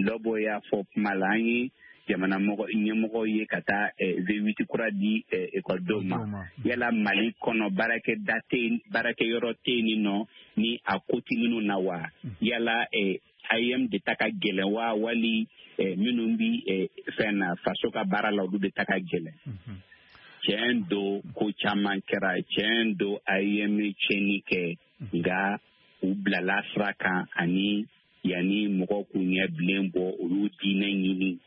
Lɔbɔ y'a fɔ kuma la, an ye jamana ɲɛmɔgɔw ye ka taa V huit kura di ekɔlidenw ma. Yala Mali kɔnɔ baarakɛda tɛ yen, baarakɛyɔrɔ tɛ yen nɔ ni a ko tɛ minnu na wa? Yala A E M de ta ka gɛlɛn wa, wali minnu bɛ fɛn na faso ka baara la, olu de ta ka gɛlɛn? Tiɲɛ don, ko caman kɛra. Tiɲɛ don, A E M ye tiɲɛni kɛ, nka u bilala sira kan, ani yanni mɔgɔw k'u ɲɛ bilen bɔ, olu diinɛ ɲini.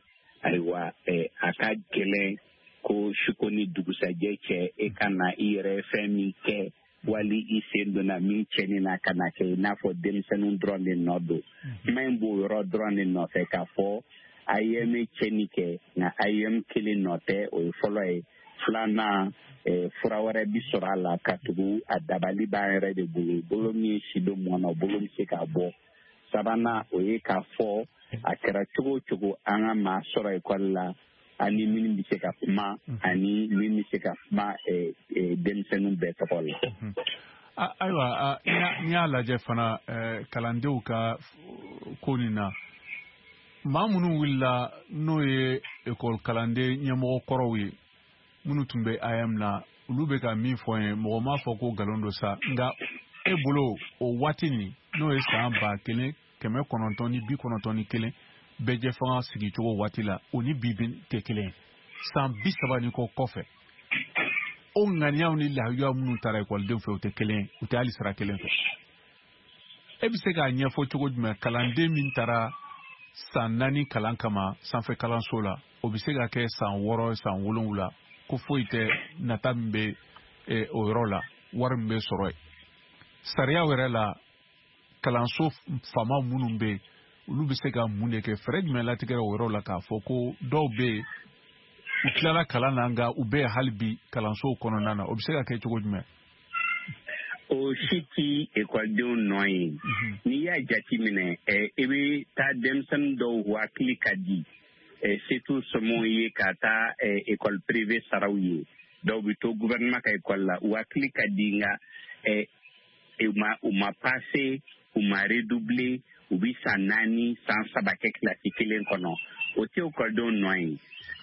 Ayiwa, a ka gɛlɛn ko suko ni dugusajɛ cɛ, e ka na i yɛrɛ fɛn min kɛ, wali i sen donna min cɛnni na, ka na kɛ i n'a fɔ denmisɛnninw dɔrɔn de nɔ don. Kuma in b'o yɔrɔ dɔrɔn de nɔfɛ, k'a fɔ A E M ye tiɲɛni kɛ, nka A E M kelen nɔ tɛ, o ye fɔlɔ ye. Filanan, fura wɛrɛ bi sɔrɔ a la, ka tugu a dabali b'an yɛrɛ de bolo, bolo min ye si don mɔn na, bolo bɛ se k'a bɔ. Sabanan, o ye k'a fɔ a kɛra cogo o cogo, an ka maa sɔrɔ ekɔli la, ani minnu bɛ se ka kuma, ani min bɛ se ka kuma denmisɛnninw bɛɛ tɔgɔ la. Ayiwa, n'i y'a lajɛ fana kalandenw ka ko nin na, maa minnu wulila n'o ye ekɔli kalanden ɲɛmɔgɔ kɔrɔw ye, minnu tun bɛ A E M na, olu bɛ ka min fɔ n ye, mɔgɔ m'a fɔ ko nkalon don sa, nka e bolo o waati nin, n'o ye san ba kelen kɛmɛ kɔnɔntɔn ni bi kɔnɔntɔn ni kelen bɛɛjɛfanga sigicogo waati la, o ni bi tɛ kelen ye. San bi saba ni kɔ kɔfɛ, o ŋaniyaw ni lahayiyaw minnu taara ekɔlidenw fɛ, o tɛ kelen ye, u tɛ hali sira kelen fɛ. E bɛ se k'a ɲɛfɔ cogo jumɛn, kalanden min taara san naani kalan kama sanfɛ kalanso la, o bɛ se ka kɛ san wɔɔrɔ, san wolonwula, ko foyi tɛ nata min bɛ o yɔrɔ la, wari min bɛ sɔrɔ yen? Sariyaw yɛrɛ la, kalanso faama minnu bɛ yen, olu bɛ se ka mun de kɛ? Fɛɛrɛ jumɛn latigɛra o yɔrɔ la k'a fɔ ko dɔw bɛ yen, u tilala kalan na, nka u bɛ hali bi kalansow kɔnɔna na, o bɛ se ka kɛ cogo jumɛn? O si ti ekɔlidenw nɔ ye. N'i y'a jateminɛ, i bɛ taa denmisɛnnin dɔw hakili ka di, se t'u somɔgɔw ye ka taa ekɔli privé saraw ye, dɔw bɛ to gouvernement ka ekɔli la, u hakili ka di, nka u ma u ma passe U ma redoubler, u bi san naani, san saba kɛ kilasi kelen kɔnɔ. O tɛ ekɔlidenw nɔ ye.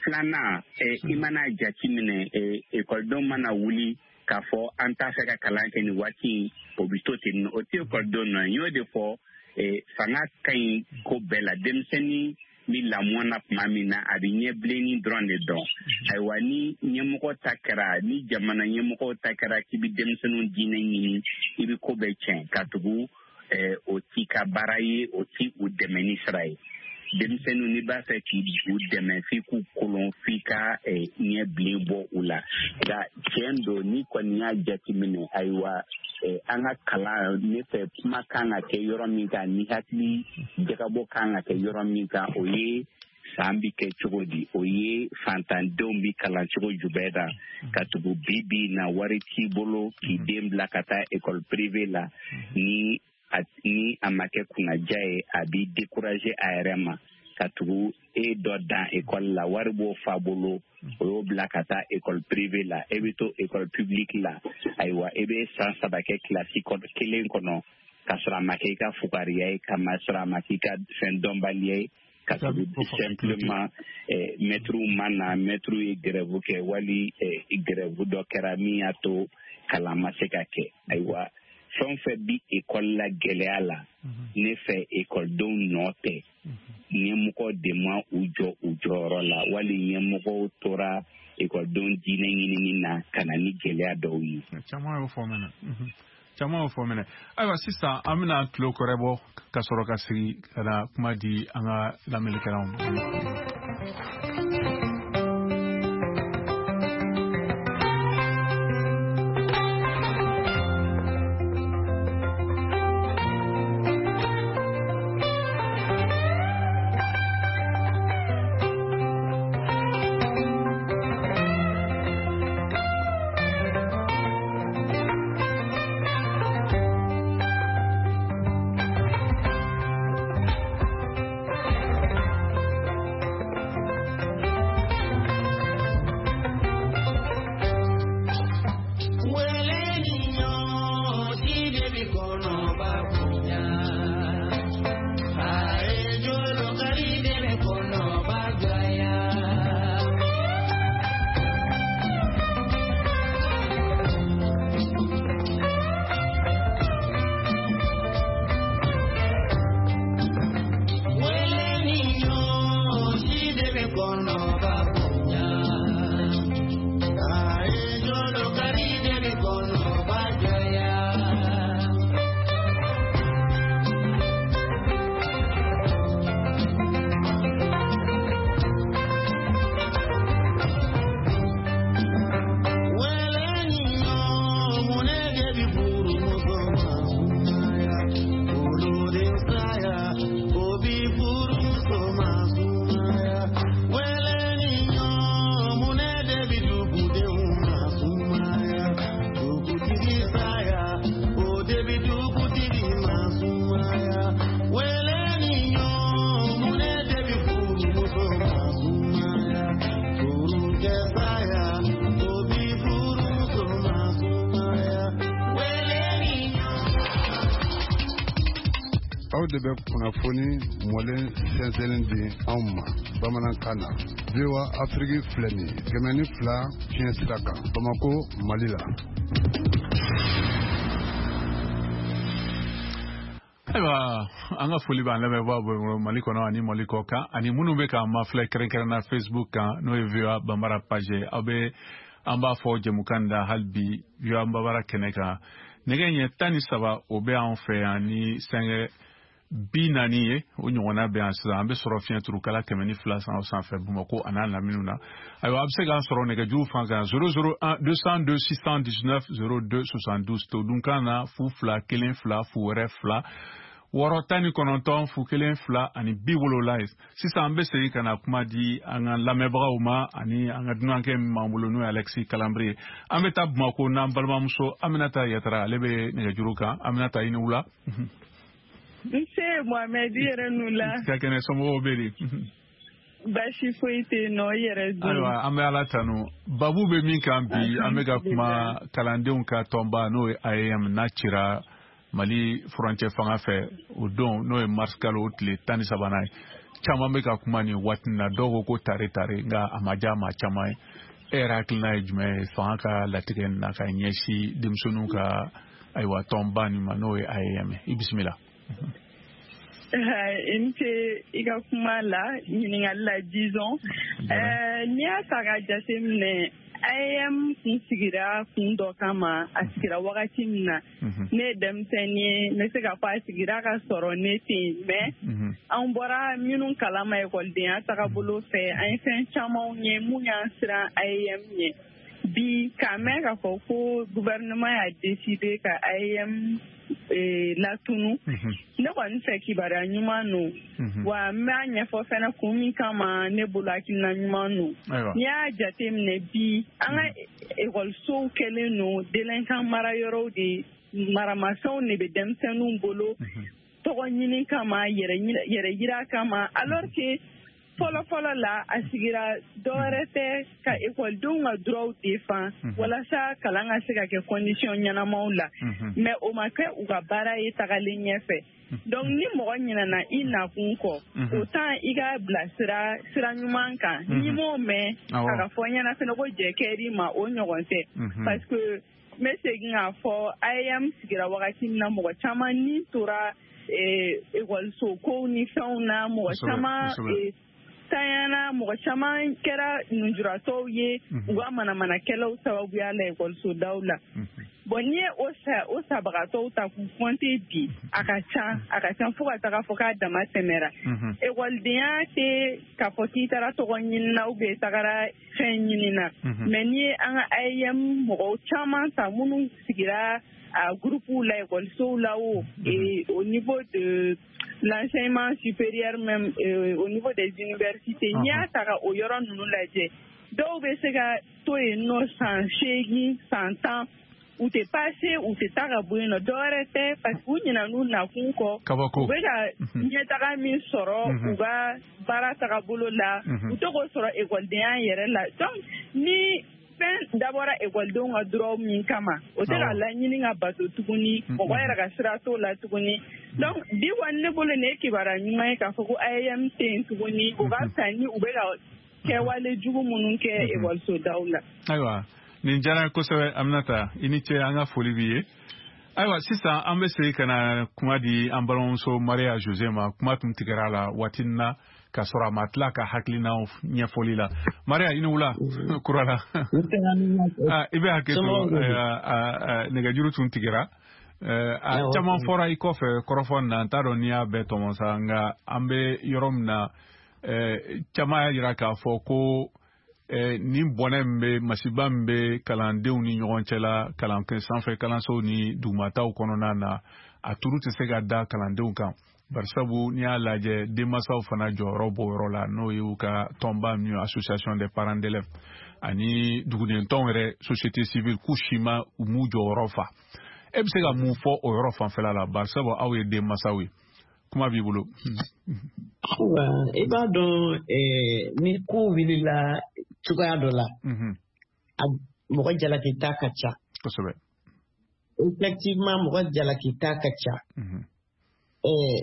Filanan, i mana jateminɛ, ekɔlidenw mana wuli k'a fɔ an t'a fɛ ka kalan kɛ nin waati in, o bɛ to ten. O tɛ ekɔlidenw nɔ ye. N y'o de fɔ, fanga ka ɲi ko bɛɛ la. Denmisɛnnin ni lamɔ na tuma min na, a bɛ ɲɛbilenni dɔrɔn de dɔn. Ayiwa, ni ɲɛmɔgɔ ta kɛra, ni jamana ɲɛmɔgɔw ta kɛra k'i bɛ denmisɛnninw diinɛ ɲini, i bɛ ko bɛɛ tiɲɛ, ka tugu o t'i ka baara ye, o t'i u dɛmɛni sira ye. Denmisɛnninw, n'i b'a fɛ k'u dɛmɛ, f'i k'u kolon, f'i ka ɲɛ bilen bɔ u la. Nka tiɲɛ don, n'i kɔni y'a jateminɛ, ayiwa, an ka kalan, ne fɛ kuma kan ka kɛ yɔrɔ min kan, ni hakili jagabɔ kan ka kɛ yɔrɔ min kan, o ye san bi kɛ cogo di, o ye fantandenw bi kalan cogo jumɛn na, ka tugu bi bi na wari t'i bolo k'i den bila ka taa école privée la, ni ni a ma kɛ kunnaja ye, a b'i décourager a yɛrɛ ma, ka tugu e dɔ dan école la, wari b'o fa bolo, o y'o bila ka taa école privée la, e bɛ to école publique la. Ayiwa, e bɛ san saba kɛ kilasi kelen kɔnɔ, ka sɔrɔ a ma kɛ i ka fugariya ye, ka sɔrɔ a ma k'i ka fɛn dɔnbaliya ye, ka tugu simplement mɛtiriw ma na, mɛtiriw ye grève kɛ, wali grève dɔ kɛra min y'a to kalan ma se ka kɛ. Ayiwa, fɛn o fɛn bi ekɔli la gɛlɛya la, ne fɛ ekɔlidenw nɔ tɛ. Ɲɛmɔgɔ de ma u jɔ u jɔyɔrɔ la, wali ɲɛmɔgɔw tora ekɔlidenw diinɛ ɲinini na ka na ni gɛlɛya dɔw ye. Caman y'o fɔ mɛnɛ. Caman y'o fɔ mɛnɛ. Ayiwa, sisan an bɛna tulo kɔrɛ bɔ ka sɔrɔ ka sigi ka na kuma di an ka lamɛnnikɛlaw ma. Aw de bɛ kunnafoni mɔlen sɛnsɛnnen di anw ma bamanankan na. V O A Afrique filɛ nin ye kɛmɛ ni fila fiɲɛ sira kan Bamakɔ, Mali la. Ayiwa, an ka foli b'an lamɛnbaaw bolo Mali kɔnɔ ani Mali kɔ kan, ani minnu bɛ k'an mafilɛ kɛrɛnkɛrɛnna Facebook kan, n'o ye V O A Bambara page ye. Aw bɛ an b'a fɔ jɛmukan da hali bi V O A Bambara kɛnɛ kan. Nɛgɛ ɲɛ tan ni saba o bɛ an fɛ yan ni sɛngɛ bi naani ye, o ɲɔgɔnna bɛ yan sisan. An bɛ sɔrɔ fiɲɛturukala kɛmɛ ni fila san sanfɛ Bamakɔ a n'a laminiw na. Ayiwa, a bɛ se k'an sɔrɔ nɛgɛjuru fan kan zéro zéro un deux cent deux six cent dix-neuf zéro deux soixante-douze, todunkan na fu fila kelen fila fu wɛrɛ fila wɔɔrɔ tan ni kɔnɔntɔn fu kelen fila ani bi wolonwula ye. Sisan an bɛ segin ka na kuma di an ka lamɛnbagaw ma ani an ka dunankɛ min b'an bolo, n'o ye Alexis Kalanbiri ye. An bɛ taa Bamakɔ n'an balimamuso Aminata Yatara, ale bɛ nɛgɛjuru kan. Aminata, i ni wula. Nse Mohamed, i yɛrɛ n'u la. Ka kɛnɛ, somɔgɔw bɛ di? Baasi foyi tɛ yen nɔ, i yɛrɛ dun? Ayiwa, an bɛ Ala tanu. Babu bɛ min kan bi, an bɛ ka kuma kalandenw ka tɔnba, n'o ye A E M, n'a cira Mali furancɛ fanga fɛ o don, n'o ye mars kalo tile tan ni sabanan ye. Caman bɛ ka kuma nin waati in na, dɔw ko ko tare tare, nka a ma diya maa caman ye. E yɛrɛ hakilina ye jumɛn ye fanga ka latigɛ nin na ka ɲɛsin denmisɛnninw ka ayiwa tɔnba nin ma, n'o ye A E M ye? I bisimila. I ni ce i ka kuma la, ɲininkali la, disons. N'i y'a ta k'a jateminɛ, A E M kun sigira kun dɔ kama, a sigira wagati min na, ne ye denmisɛnnin ye, n bɛ se k'a fɔ a sigira ka sɔrɔ ne tɛ yen, mais an bɔra minnu kalama ekɔlidenya tagabolo fɛ, an ye fɛn camanw ye mun y'an siran A E M ɲɛ. Bi k'a mɛn k'a fɔ ko gouvernement y'a décidé ka A E M latunu, ne kɔni fɛ kibaruya ɲuman don, wa n b'a ɲɛfɔ fɛnɛ kun min kama ne bolo hakilina ɲuman don. N'i y'a jateminɛ bi, an ka ekɔlisow kɛlen don délinquant mara yɔrɔw de, maramafɛnw de bɛ denmisɛnninw bolo tɔgɔ ɲini kama, yɛrɛ yira kama, alors que fɔlɔ fɔlɔ la a sigira dɔwɛrɛ tɛ ka ekɔlidenw ka droits défend walasa kalan ka se ka kɛ condition ɲɛnamaw la, mais o ma kɛ u ka baara ye tagalen ɲɛfɛ. Donc ni mɔgɔ ɲinɛna i nakun kɔ, autant i ka bila sira sira ɲuman kan. N'i m'o mɛn a ka fɔ ɲɛna fɛnɛ ko jɛ kɛr'i ma, o ɲɔgɔn tɛ, parce que n bɛ segin k'a fɔ A E M sigira wagati min na, mɔgɔ caman ni tora ekɔliso kow ni fɛnw na, mɔgɔ caman tanyana, mɔgɔ caman kɛra nujuratɔw ye u ka manamanakɛlaw sababuya la ekɔlisodaw la. Bon, n'i ye o sa o sabagatɔw ta k'u compter bi, a ka ca a ka ca fo ka taga fɔ k'a dama tɛmɛra. Ekɔlidenya tɛ k'a fɔ k'i taara tɔgɔ ɲini na ou bien i tagara fɛn ɲini na, mais n'i ye an ka A E M mɔgɔw caman ta minnu sigira a groupe la ekɔlisow la o, et au niveau de l'enseignement supérieur même, euh, au niveau des universités, n'i y'a ta ka o yɔrɔ ninnu lajɛ, dɔw bɛ se ka to yen nɔ san seegin, san tan, u tɛ passer, u tɛ taa ka bɔ yen nɔ, dɔwɛrɛ tɛ parce que u ɲinɛn'u nakun kɔ. U bɛ ka ɲɛtaga min sɔrɔ u ka baara tagabolo la, u tɛ k'o sɔrɔ ekɔlidenya yɛrɛ la. Donc ni fɛn dabɔra ekɔlidenw ka droit min kama, o tɛ ka laɲini ka bato tuguni, mɔgɔ yɛrɛ ka sira t'o la tuguni. Donc bi kɔni ne bolo nin ye kibaruya ɲuman ye k'a fɔ ko A E M tɛ yen tuguni, o ka fisa ni u bɛ ka kɛwale jugu minnu kɛ ekɔlisodaw la. Ayiwa, nin diyara n ye kosɛbɛ Aminata, i ni ce, an ka foli b'i ye. Ayiwa, sisan an bɛ segin ka na kuma di an balimamuso Maria Jose ma. Kuma tun tigɛra a la waati na k'a sɔrɔ a ma tila ka hakilinaw ɲɛfɔli la. Maria, i ni wula kura la. I bɛ hakɛ to, nɛgɛjuru tun tigɛra. A caman fɔra i kɔfɛ kɔrɔfɔ na, n t'a dɔn n'i y'a bɛɛ tɔmɔ sa, nka an bɛ yɔrɔ min na, caman y'a jira k'a fɔ ko nin bɔnɛ min bɛ, masiba min bɛ kalandenw ni ɲɔgɔn cɛ la, kalan sanfɛ kalansow ni dugumataw kɔnɔna na, a turu tɛ se ka da kalandenw kan. Barisabu n'i y'a lajɛ, denmansaw fana jɔyɔrɔ b'o yɔrɔ la, n'o y'u ka tɔnba min ye association des parents d'élèves ani duguden tɔnw yɛrɛ, société civile, k'u si ma u m'u jɔyɔrɔ fa. E bɛ se ka mun fɔ o yɔrɔ fanfɛla la, barisabu aw ye denmansaw ye? Kuma b'i bolo. I b'a dɔn, ni ko wulila cogoya dɔ la, mɔgɔ jalaki ta ka ca. Kosɛbɛ. Effectivement, mɔgɔ jalaki ta ka ca.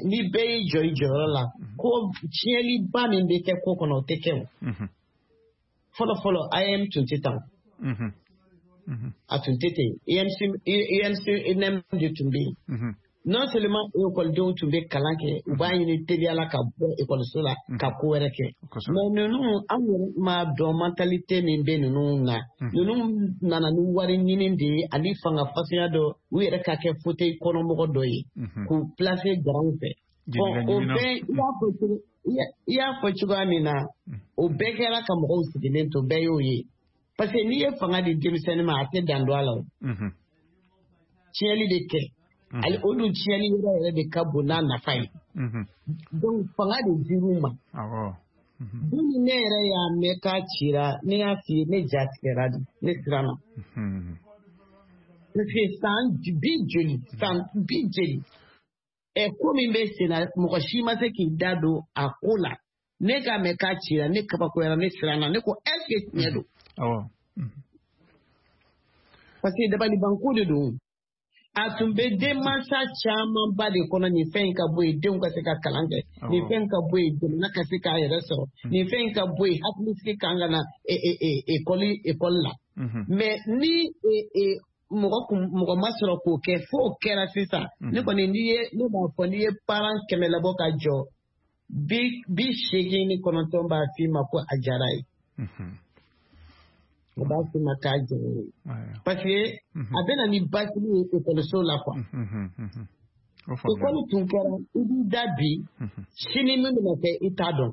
Ni bɛɛ y'i jɔ i jɔyɔrɔ la, ko tiɲɛliba min bɛ kɛ ko kɔnɔ, o tɛ kɛ o. Fɔlɔ fɔlɔ, A E M tun tɛ tan. A tun tɛ ten. U N C N M de tun bɛ yen. Non seulement ekɔlidenw tun bɛ kalan kɛ, u b'a ɲini teliya la ka bɔ ekɔliso la ka ko wɛrɛ kɛ. Mais ninnu, an yɛrɛ m'a dɔn mentalité min bɛ ninnu na. Ninnu nana ni wari ɲini de ye ani fanga fasuguya dɔ, u yɛrɛ ka kɛ fauteuil kɔnɔmɔgɔ dɔ ye k'u placer garanw fɛ. Bon, o bɛɛ, i y'a fɔ cogo i y'a fɔ cogoya min na, o bɛɛ kɛra ka mɔgɔw sigilen to, bɛɛ y'o ye. Parce que n'i ye fanga di denmisɛnnin ma, a tɛ dan don a la o. Tiɲɛli de kɛ. Ale o dun tiɲɛli yɔrɔ yɛrɛ de ka bon n'a nafa ye. Donc fanga de dir'u ma. Don min ne yɛrɛ y'a mɛn k'a cira, ne y'a f'i ye, ne ja tigɛra de, ne siranna. Parce que san bi joli, san bi joli, ɛ ko min bɛ sen na, mɔgɔ si ma se k'i da don a ko la. Ne k'a mɛn k'a cira, ne kabakoyara, ne siranna, ne ko est-ce que tiɲɛ don? Parce que dabalibanko de don. A tun bɛ denmansa camanba de kɔnɔ nin fɛn in ka bɔ yen, denw ka se ka kalan kɛ, nin fɛn ka bɔ yen, jamana ka se k'a yɛrɛ sɔrɔ, nin fɛn in ka bɔ yen, hakilisigi kan ka na ekɔli ekɔli la. Mais ni mɔgɔ mɔgɔ ma sɔrɔ k'o kɛ, f'o kɛra sisan. Ne kɔni n'i ye, ne b'a fɔ n'i ye parent kɛmɛ labɔ ka jɔ, bi bi seegin ni kɔnɔntɔn b'a f'i ma ko a diyara ye. O b'a f'i ma k'a diyara ye. Parce que a bɛ na ni basigi ye ekɔliso la quoi. Ekɔli tun kɛra i b'i da bi, sini min bɛna kɛ i t'a dɔn.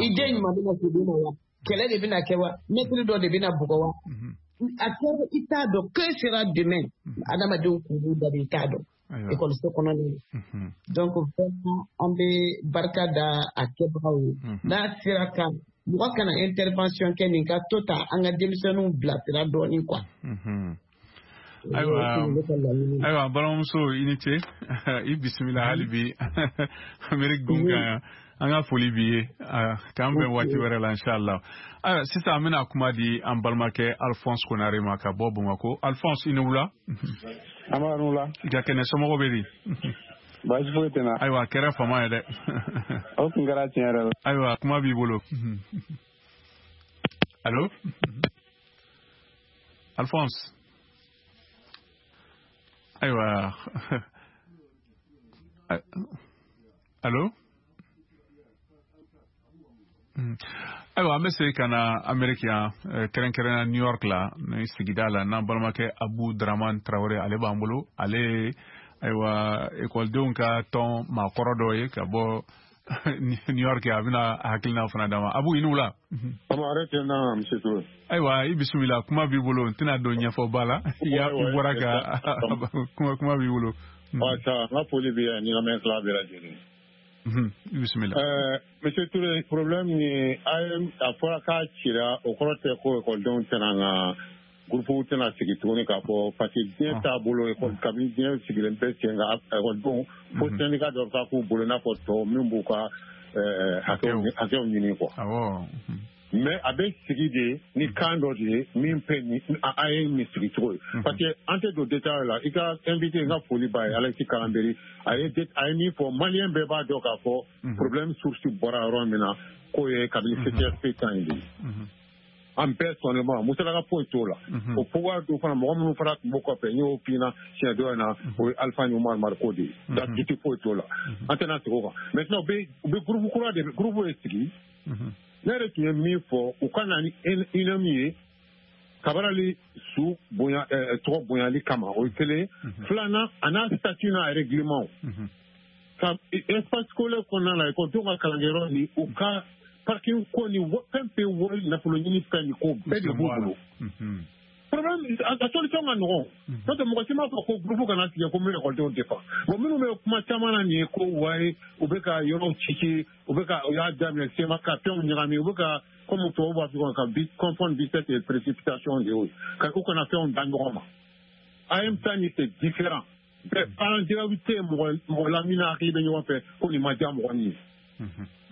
I den ɲuman bɛna segin ma wa? Kɛlɛ de bɛna kɛ wa? Mɛtiri dɔ de bɛna bugɔ wa? A kɛra i t'a dɔn. Que sera demain? Adamadenw kun b'u da de, i t'a dɔn. Ekɔliso kɔnɔna na. Donc vraiment an bɛ barika da a kɛbagaw ye. N'a sera ka mɔgɔ kana intervention kɛ nin ka to ta an ka denmisɛnninw bilasira dɔɔnin quoi. Ayiwa, ayiwa balimamuso i ni ce, i bisimila hali bi Amérique gun kan yan. An ka foli b'i ye, k'an bɛn waati wɛrɛ la inshallah. Ayiwa sisan an bɛna kuma di an balimakɛ Alphonse Konare ma ka bɔ Bamakɔ. Alphonse, i ni wula. An b'a wula. I ka kɛnɛ, somɔgɔw bɛ di? Baasi foyi tɛ n na. Ayiwa a kɛra fama ye dɛ. O tun kɛra tiɲɛ yɛrɛ la. Ayiwa kuma b'i bolo. Allo Alphonse. Ayiwa. Allo. Ayiwa an bɛ segin ka na Amérique yan, kɛrɛnkɛrɛnnenya New York la, ni sigida la, n'an balimakɛ Abu Dramane Traoré, ale b'an bolo. Ale ayiwa ekɔlidenw ka tɔn maakɔrɔ dɔ ye ka bɔ New York, a bɛna hakilina fana d'a ma. Abu, i ni wula. Ayiwa i bisimila, kuma b'i bolo, n tɛna don ɲɛfɔba la, i bɔra ka kuma kuma b'i bolo. N ka foli b'i ye ni lamɛnnikɛla bɛɛ lajɛlen. Bisimila. Monsieur Touré, problème ni a fɔra k'a cira, o kɔrɔ tɛ ko ekɔlidenw tɛna n ka groupe tɛna sigi tuguni k'a fɔ, parce que diɲɛ taabolo ekɔli kabini diɲɛ sigilen bɛ sen kan, ekɔlidenw fo syndicat dɔ ka k'u bolo i n'a fɔ tɔw min b'u ka hakɛw ɲini quoi. Mais a bɛ sigi de ni kan dɔ de ye min bɛ ni a ye nin sigi cogo ye, parce que an tɛ don détail la. I ka invité, n ka foli b'a ye, Alexis Kalanberi, a ye a ye min fɔ, maliyɛn bɛɛ b'a dɔn k'a fɔ problème source bɔra yɔrɔ min na, k'o ye kabini C T S P tan in de ye. An bɛɛ sɔnnen ma, musalaka foyi t'o la. O pouvoir dɔw fana, mɔgɔ minnu fana tun b'o kɔfɛ, n y'o f'i ɲɛna siɲɛ dɔ in na, o ye Alpha ni Umar Mariko de ye. Datugu foyi t'o la. An tɛna segin o kan. Maintenant u bɛ u bɛ groupe kura de groupe de sigi. Ne yɛrɛ tun ye min fɔ, u ka na ni I N M ye Kabarali su bonya tɔgɔ bonyali kama, o ye kelen. Filanan, a n'a statut n'a règlement. Ka espace scolaire kɔnɔna la, ekɔlidenw ka kalankɛyɔrɔ ni u ka parking ko ni fɛn fɛn wari nafolo ɲini fɛn ni ko bɛɛ de b'u bolo. Problème a solution ka nɔgɔn. N'o tɛ mɔgɔ si m'a fɔ ko groupe kana sigi ko min ekɔlidenw défend. Bon, minnu bɛ kuma caman na nin ye ko wayi u bɛ ka yɔrɔw ci, u bɛ ka u y'a daminɛ sema ka fɛnw ɲagami, u bɛ ka comme tubabu b'a fɔ ka confondre vitesse et précipitation de y'o ye, ka u kana fɛnw da ɲɔgɔn ma. A M ta ni c'est différent. Bɛɛ parents d'élèves tɛ mɔgɔ mɔgɔ la min n'a hakili bɛ ɲɔgɔn fɛ ko nin ma diya mɔgɔ min ye.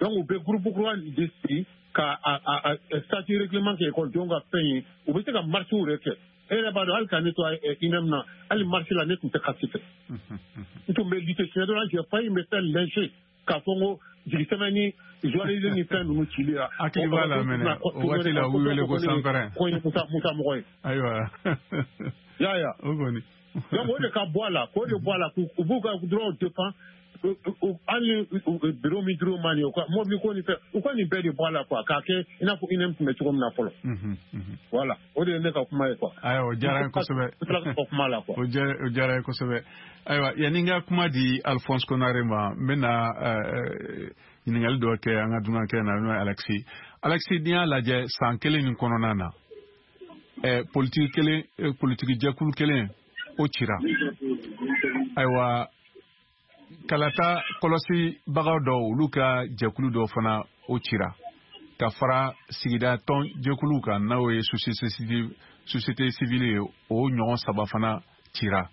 Donc u bɛ groupe kura de sigi ka a a statut règlement kɛ ekɔlidenw ka fɛn ye, u bɛ se ka marche yɛrɛ kɛ. E yɛrɛ b'a dɔn hali ka ne to I N M na, hali marche la ne tun tɛ kasi fɛ. N tun bɛ lutter siɲɛ dɔ la, j'ai failli me faire lyncher k'a fɔ n ko jigisɛmɛ ni journalisme ni fɛn ninnu cili la. Hakili b'a la mɛnɛ, o waati la u wele ko sanpɛrɛn. Ko ye Musa Musa mɔgɔ ye. Ayiwa. Ya ya. O kɔni. Donc o de ka bɔ a la, k'o de bɔ a la, k'u b'u ka droit défend. Hali bureau min dir'u ma nin ye, u ka mobili ko ni fɛn, u ka nin bɛɛ de bɔ a la quoi, k'a kɛ i n'a fɔ I N M tun bɛ cogo min na fɔlɔ. Voilà, o de ye ne ka kuma ye quoi. Ayiwa, o diyara n ye kosɛbɛ. N tila ka kuma la quoi. O diyara n ye kosɛbɛ. Ayiwa, yanni n ka kuma di Alphonse Konare ma, n bɛna ɲininkali dɔ kɛ an ka dunankɛ na, n'o ye Alexis. Alexis, n'i y'a lajɛ san kelen nin kɔnɔna na, politiki kelen, politiki jɛkulu kelen o cira. Ayiwa, kalata kɔlɔsibagaw dɔw, olu ka jɛkulu dɔw fana o cira ka fara sigida tɔn jɛkuluw kan, n'o ye société civile ye, o ɲɔgɔn saba fana cira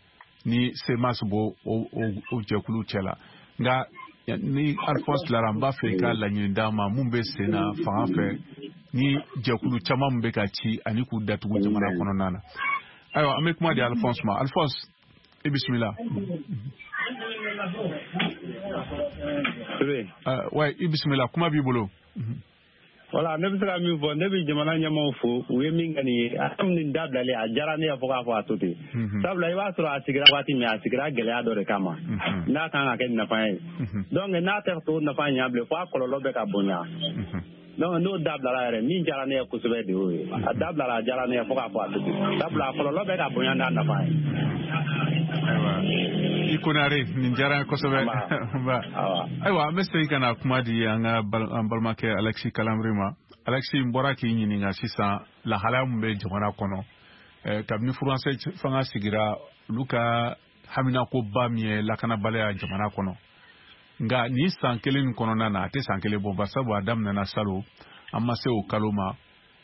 ni C M A S b'o o jɛkulu cɛ la. Nka ni Alphonse tilara, n b'a fɛ i ka laɲini d'an ma mun bɛ sen na fanga fɛ ni jɛkulu caman min bɛ ka ci ani k'u datugu jamana kɔnɔna na. Ayiwa, an bɛ kuma di Alphonse ma. Alphonse, i bisimila. Ouais, i bisimila, kuma b'i bolo. Voilà, ne bɛ se ka min fɔ, ne bɛ jamana ɲɛmaaw fo, u ye min kɛ nin ye, a nin dabilalen a diyara ne ye fo k'a fɔ a to ten. Sabula i b'a sɔrɔ a sigira waati min, a sigira gɛlɛya dɔ de kama, n'a kan ka kɛ nafa ye. Donc n'a tɛ to nafa ɲɛ bilen, fo a kɔlɔlɔ bɛ ka bonya. Donc n'o dabilala yɛrɛ, min diyara ne ye kosɛbɛ de y'o ye. A dabilala a diyara ne ye fo k'a fɔ a to ten. Sabula a kɔlɔlɔ bɛ ka bonya n'a nafa ye. Ayiwa, i Konare, nin diyara n ye kosɛbɛ. Ayiwa, an bɛ segin ka na kuma di an ka an balimakɛ Alexis Kalamri ma. Alexis, n bɔra k'i ɲininka sisan lahalaya min bɛ jamana kɔnɔ kabini furancɛ fanga sigira, olu ka haminakoba min ye lakanabaliya jamana kɔnɔ. Nka nin san kelen nin kɔnɔna na, a tɛ san kelen bɔ, barisabu a daminɛna salon, an ma se o kalo ma.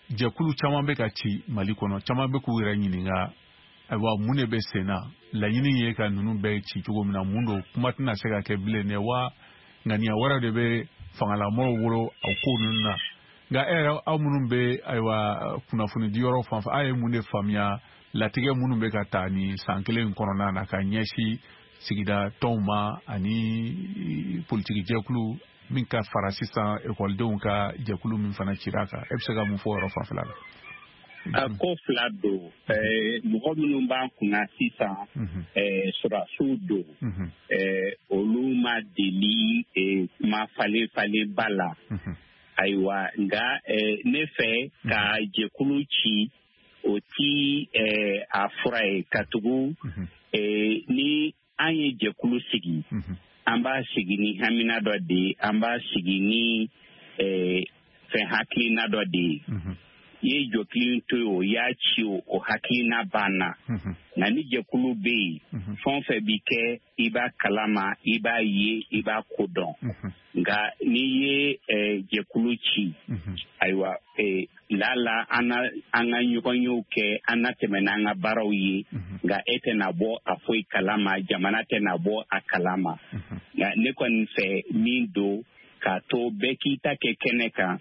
Jɛkulu caman bɛ ka ci Mali kɔnɔ, caman bɛ k'u yɛrɛ ɲininka, ayiwa, mun de bɛ sen na? Laɲini ye ka ninnu bɛɛ ci cogo min na, mun don? Kuma tɛna se ka kɛ bilen dɛ, wa ŋaniya wɛrɛ de bɛ fangalamɔgɔw bolo o ko ninnu na. Nka e yɛrɛ, aw minnu bɛ ayiwa kunnafonidiyɔrɔ fan fɛ, aw ye mun de faamuya latigɛ minnu bɛ ka ta nin san kelen in kɔnɔna na ka ɲɛsin sigida tɔnw ma ani politiki jɛkulu min ka fara sisan ekɔlidenw ka jɛkulu min fana cira kan, e bɛ se ka mun fɔ o yɔrɔ fanfɛla la? A ko fila don. Mɔgɔ minnu b'an kunna sisan, sɔrɔdasiw don, olu ma deli kuma falen falenba la. Ayiwa, nka ne fɛ ka jɛkulu ci, o ti a fura ye, katugu ni an ye jɛkulu sigi, an b'a sigi ni hamina dɔ de ye, an b'a sigi ni fɛn hakilina dɔ de ye. I ye jɔkili to yen, o y'a ci, o o hakilina banna. Nka ni jɛkulu bɛ yen, fɛn o fɛn bi kɛ, i b'a kalama, i b'a ye, i b'a ko dɔn. Nka n'i ye jɛkulu ci, ayiwa, lala an na an ka ɲɔgɔnyew kɛ, an na tɛmɛ n'an ka baaraw ye, nka e tɛna bɔ a foyi kalama, jamana tɛna bɔ a kalama. Nka ne kɔni fɛ min don, k'a to bɛɛ k'i ta kɛ kɛnɛ kan,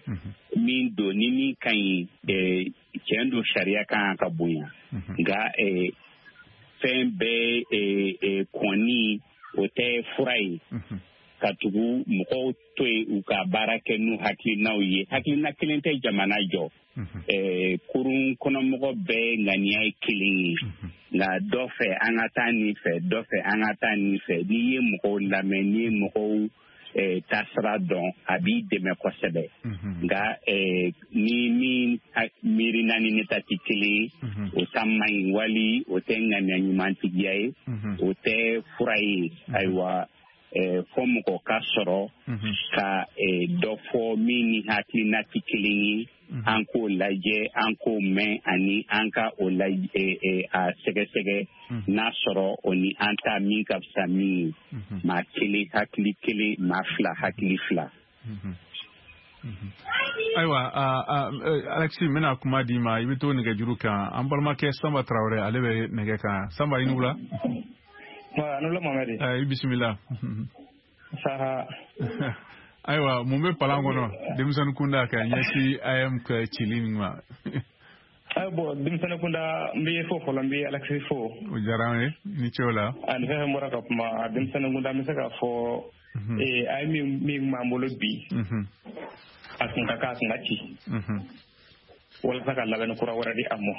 min don ni min ka ɲi, tiɲɛ don, sariya kan ka bonya. Nka fɛn bɛɛ kɔni, o tɛ fura ye, ka tugu mɔgɔw to yen u ka baara kɛ n'u hakilinaw ye. Hakilina kelen tɛ jamana jɔ. Kurun kɔnɔmɔgɔ bɛɛ ŋaniya ye kelen ye, nka dɔ fɛ an ka taa nin fɛ, dɔ fɛ an ka taa nin fɛ. N'i ye mɔgɔw lamɛn, n'i ye mɔgɔw taasira dɔn, a b'i dɛmɛ kosɛbɛ. Nka ni min miirina ni ne ta tɛ kelen ye, o ta man ɲi, wali o tɛ ŋaniya ɲumantigiya ye, o tɛ fura ye. Ayiwa, fo mɔgɔ ka sɔrɔ ka dɔ fɔ min ni hakilina tɛ kelen ye, an k'o lajɛ, an k'o mɛn, ani an ka o lajɛ, a sɛgɛsɛgɛ n'a sɔrɔ o ni an ta min ka fisa min ye. Maa kelen hakili kelen, maa fila hakili fila. Ayiwa, Alexis, n bɛna kuma d'i ma, i bɛ to nɛgɛjuru kan. An balimakɛ Sanba Tarawele, ale bɛ nɛgɛ kan. Sanba, i ni wula. A ni wula Mohamɛdi. I bisimila. Saha. Ayiwa, mun bɛ palan kɔnɔ denmisɛnnin kunda ka ɲɛsin A M ka cili nin ma? Ayi, bon, denmisɛnnin kunda, n bɛ fo fɔlɔ, n bɛ Alexis fo. O diyara an ye, ni ce o la. Ani fɛn fɛn bɔra ka kuma, denmisɛnnin kunda, n bɛ se k'a fɔ a ye min min b'an bolo bi, a kun ka kan a kun ka ci walasa ka labɛnni kura wɛrɛ di a ma.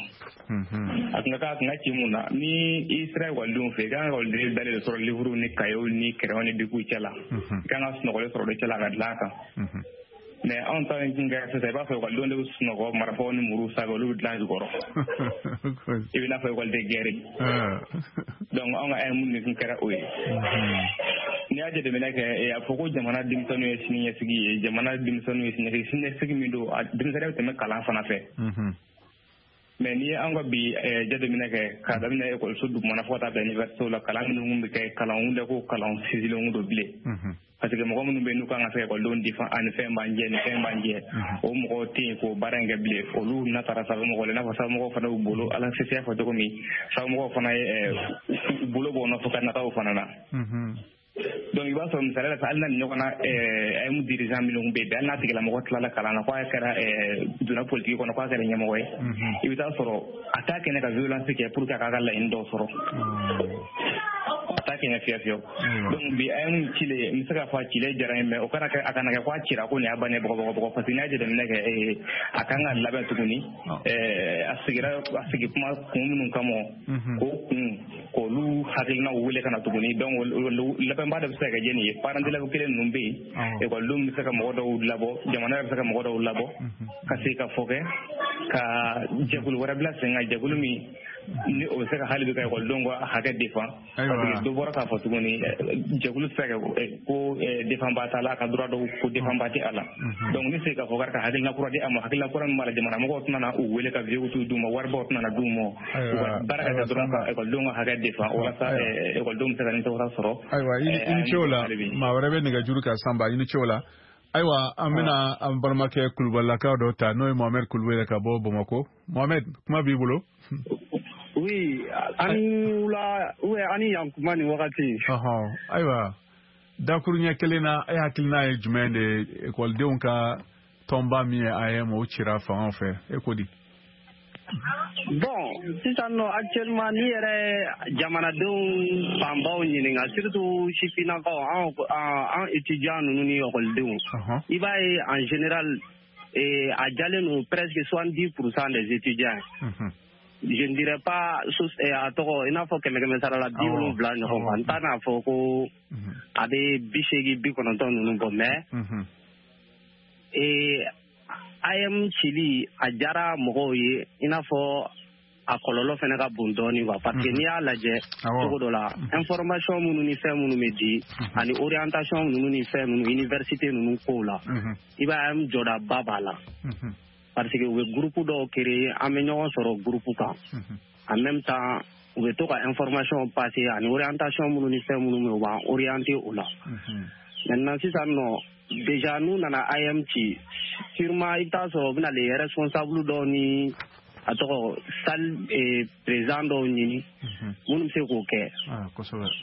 A kun ka kan a kun ka ci mun na, ni i sera ekɔlidenw fɛ, i kan ka ekɔliden dalen de sɔrɔ livuru ni kayew ni kɛrɛw ni bikiw cɛ la, i kan ka sunɔgɔli sɔrɔ olu cɛ la ka dilan a kan. Mais anw ta in kun kɛra sisan, i b'a fɔ ekɔlidenw de bɛ sunɔgɔ marifaw ni muruw sanfɛ, olu bɛ dilan jukɔrɔ. I bɛ n'a fɔ ekɔliden gɛrɛ. Donc anw ka mun de kun kɛra o ye. N'i y'a jateminɛ kɛ, a fɔ ko jamana denmisɛnninw ye siniɲɛsigi ye, jamana denmisɛnninw ye siniɲɛsigi, siniɲɛsigi min don, denmisɛnnin bɛ tɛmɛ kalan fana fɛ. Mais n'i ye an ka bi jateminɛ kɛ, k'a daminɛ ekɔliso dugumana fo ka taa bila université la, kalan minnu bɛ kɛ, kalanw tɛ ko kalan sinsinlenw don bilen. Parce que mɔgɔ minnu bɛ yen n'u kan ka se ekɔlidenw defan, ani fɛn b'an jɛ, ni fɛn b'an jɛ, o mɔgɔw tɛ yen k'o baara in kɛ bilen. Olu na taara sanfɛmɔgɔw la, i n'a fɔ sanfɛmɔgɔw fana y'u bolo, Ala se y'a fɔ cogo min, sanfɛmɔgɔw fana ye u bolo bɔ nɔfɛ ka nataw fana na. Donc i b'a sɔrɔ misaliya la hali n'a ni ɲɔgɔn na A E M dirigeant minnu bɛ yen bi, hali n'a tigilamɔgɔ tilala kalan na k'a kɛra donna politique kɔnɔ k'a kɛra ɲɛmɔgɔ ye, i bɛ taa sɔrɔ a t'a kɛnɛ ka violence kɛ pour que a k'a ka laɲini dɔw sɔrɔ, a t'a kɛnɛ fiyewu fiyewu. Donc bi A E M cilen, n bɛ se k'a fɔ a cilen diyara n ye, mais o kana kɛ, a kana kɛ k'a cira ko nin y'a bannen bɔgɔ bɔgɔ, parce que n'i y'a jateminɛ kɛ a kan ka labɛn tuguni, a sigira a sigi kuma kun minnu kama, k'o kun k'olu hakilinaw wele ka na tuguni. Donc labɛnba dɔ bɛ se ka kɛ jɛni ye, parents d'élèves kelen ninnu bɛ yen, ekɔlidenw bɛ se ka mɔgɔ dɔw labɔ, jamana yɛrɛ bɛ se ka mɔgɔ dɔw labɔ ka se ka fɔ kɛ ka jɛkulu wɛrɛ bila sen kan, jɛkulu min ni o bɛ se ka hali bi ka ekɔlidenw ka hakɛ défend, parce que dɔ bɔra k'a fɔ tuguni jɛkulu tɛ se ka kɛ ko défendba t'a la, a ka droit dɔw ko défendba tɛ a la. Donc ni se ka fɔ ka hakilina kura di a ma, hakilina kura min b'a la, jamana mɔgɔw tɛna na u wele ka vieux d'u ma, waribaw tɛna na d'u ma, u ka baara ka kɛ dɔrɔn ka ekɔlidenw ka hakɛ défend walasa ekɔlidenw bɛ se ka nimisiwasa sɔrɔ. Ayiwa, i ni ce o la. Maa wɛrɛ bɛ nɛgɛjuru kan Sanba, i ni ce o la. Ayiwa, an bɛna an balimakɛ Kulubalilakaw dɔ ta, n'o ye Mohamed Kulubali ka bɔ Bamakɔ. Mohamed, kuma b'i bolo. Oui, ani wula ou ani yankuma ni wagati. Ɔhɔn, ayiwa, dakuruɲɛ kelen na, e hakilina ye jumɛn de ye ekɔlidenw ka tɔnba min ye A E M o cira fangaw fɛ, e ko di? Bon, sisan nɔ actuellement n'i yɛrɛ jamanadenw fanbaw ɲininka, surtout sifinnakaw, an an étudiants ninnu ni ekɔlidenw, i b'a ye en général a jalen don presque soixante-dix pour cent des étudiants. Je ne dirais pas a tɔgɔ i n'a fɔ kɛmɛ kɛmɛ sara la bi wolonwula ɲɔgɔn kan, n t'a n'a fɔ ko a bɛ bi seegin bi kɔnɔntɔn ninnu bɔ, mais A E M cili a diyara mɔgɔw ye, i n'a fɔ a kɔlɔlɔ fana ka bon dɔɔnin quoi, parce que n'i y'a lajɛ cogo dɔ la, information minnu ni fɛn minnu bɛ di ani orientation ninnu ni fɛn ninnu université ninnu kow la, i b'a ye A E M jɔdaba b'a la, parce que u bɛ groupe dɔw créer, an bɛ ɲɔgɔn sɔrɔ groupe kan, en même temps u bɛ to ka information passer ani orientation minnu ni fɛn minnu bɛ yen, u b'an orienter o la. Maintenant sisan nɔ déjà n'u nana A E M ci, sûrement i bɛ taa sɔrɔ u bɛna les responsables dɔw ni a tɔgɔ salle président dɔw ɲini minnu bɛ se k'o kɛ.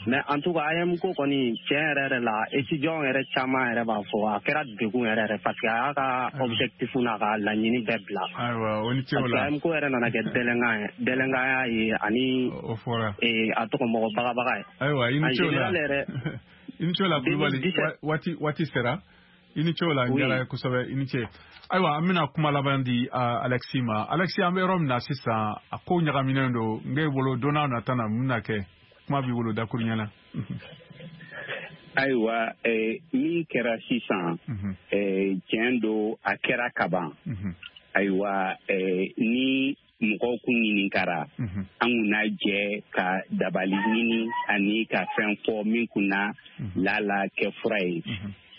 Mais en tout cas A E M ko kɔni tiɲɛ yɛrɛ yɛrɛ la, étudiants yɛrɛ caman yɛrɛ b'a fɔ a kɛra degun yɛrɛ yɛrɛ, parce que a y'a ka objectif n'a ka laɲini bɛɛ bila. Ayiwa, o ni ce o la. Parce que A E M ko yɛrɛ nana kɛ délinquant ye, délinquant ye ani a tɔgɔ mɔgɔ bagabaga ye. Ayiwa, i ni ce o la. I ni ce o la Kulubali, waati waati sera. I ni ce o la, n diyara ye kosɛbɛ, i ni ce. Ayiwa, an bɛna kuma laban di Alexis ma. Alexis, an bɛ yɔrɔ min na sisan, a ko ɲagaminen don, n k'e bolo don n'a nata na mun bɛna kɛ? Kuma b'i bolo dakuruɲɛ na. Ayiwa, min kɛra sisan, tiɲɛ don, a kɛra kaban. Ayiwa, ni mɔgɔw kun ɲininkara, an kun n'a jɛ ka dabali ɲini ani ka fɛn fɔ min kun na lala kɛ fura ye.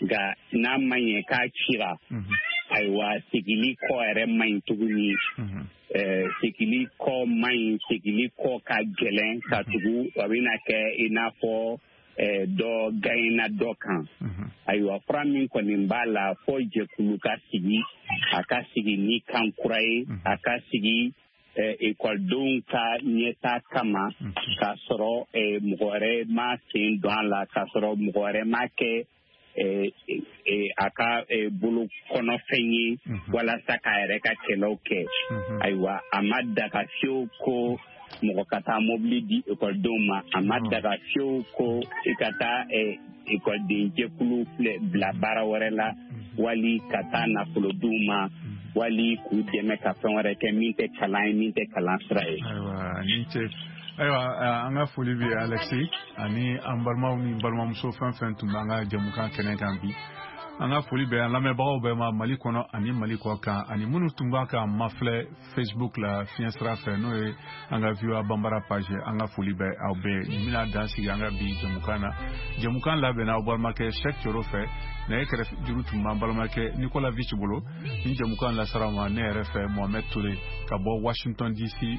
Nka n'a ma ɲɛ k'a cira, ayiwa, segili kɔ yɛrɛ man ɲi tuguni. Segili kɔ man ɲi, segili kɔ ka gɛlɛn ka tugu, a bɛna kɛ i n'a fɔ dɔ gaɲɛna dɔ kan. Ayiwa, fura min kɔni b'a la, fɔ jɛkulu ka sigi, a ka sigi ni kan kura ye, a ka sigi ekɔlidenw ka ɲɛta kama, k'a sɔrɔ mɔgɔ wɛrɛ ma sen don a la, k'a sɔrɔ mɔgɔ wɛrɛ ma kɛ a ka bolo kɔnɔfɛn ye walasa k'a yɛrɛ ka kɛlɛw kɛ. Ayiwa, a ma daga fiyewu ko mɔgɔ ka taa mobili di ekɔlidenw ma, a ma daga fiyewu ko i ka taa ekɔliden jɛkulu bila baara wɛrɛ la, wali ka taa nafolo d'u ma, wali k'u dɛmɛ ka fɛn wɛrɛ kɛ min tɛ kalan ye, min tɛ kalan sira ye. Ayiwa, ni ce. Ayiwa, an ka foli bɛ Alexis ani an balimaw ni balimamuso fɛn fɛn tun b'an ka jɛmukan kɛnɛ kan bi. An ka foli bɛ an lamɛnbagaw bɛɛ ma Mali kɔnɔ ani Mali kɔ kan, ani minnu tun b'a ka mafilɛ Facebook la fiɲɛ sira fɛ, n'o ye an ka V O A Bambara page. An ka foli bɛ aw bɛɛ. Nin bɛna dan sigi an ka bi jɛmukan na. Jɛmukan labɛnna aw balimakɛ Cheikh Thioro fɛ, nɛgɛ kɛrɛfɛ juru tun b'an balimakɛ Nicolas Vici bolo. Nin jɛmukan lasara ma ne yɛrɛ fɛ Mohamed Touré ka bɔ Washington D C,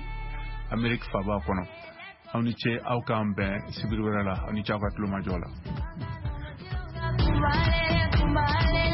Amérique faaba kɔnɔ. Aw ni ce, aw k'an bɛn sibiri wɛrɛ la. Aw ni ce aw ka tulomajɔ la. Kumbale, kumbale.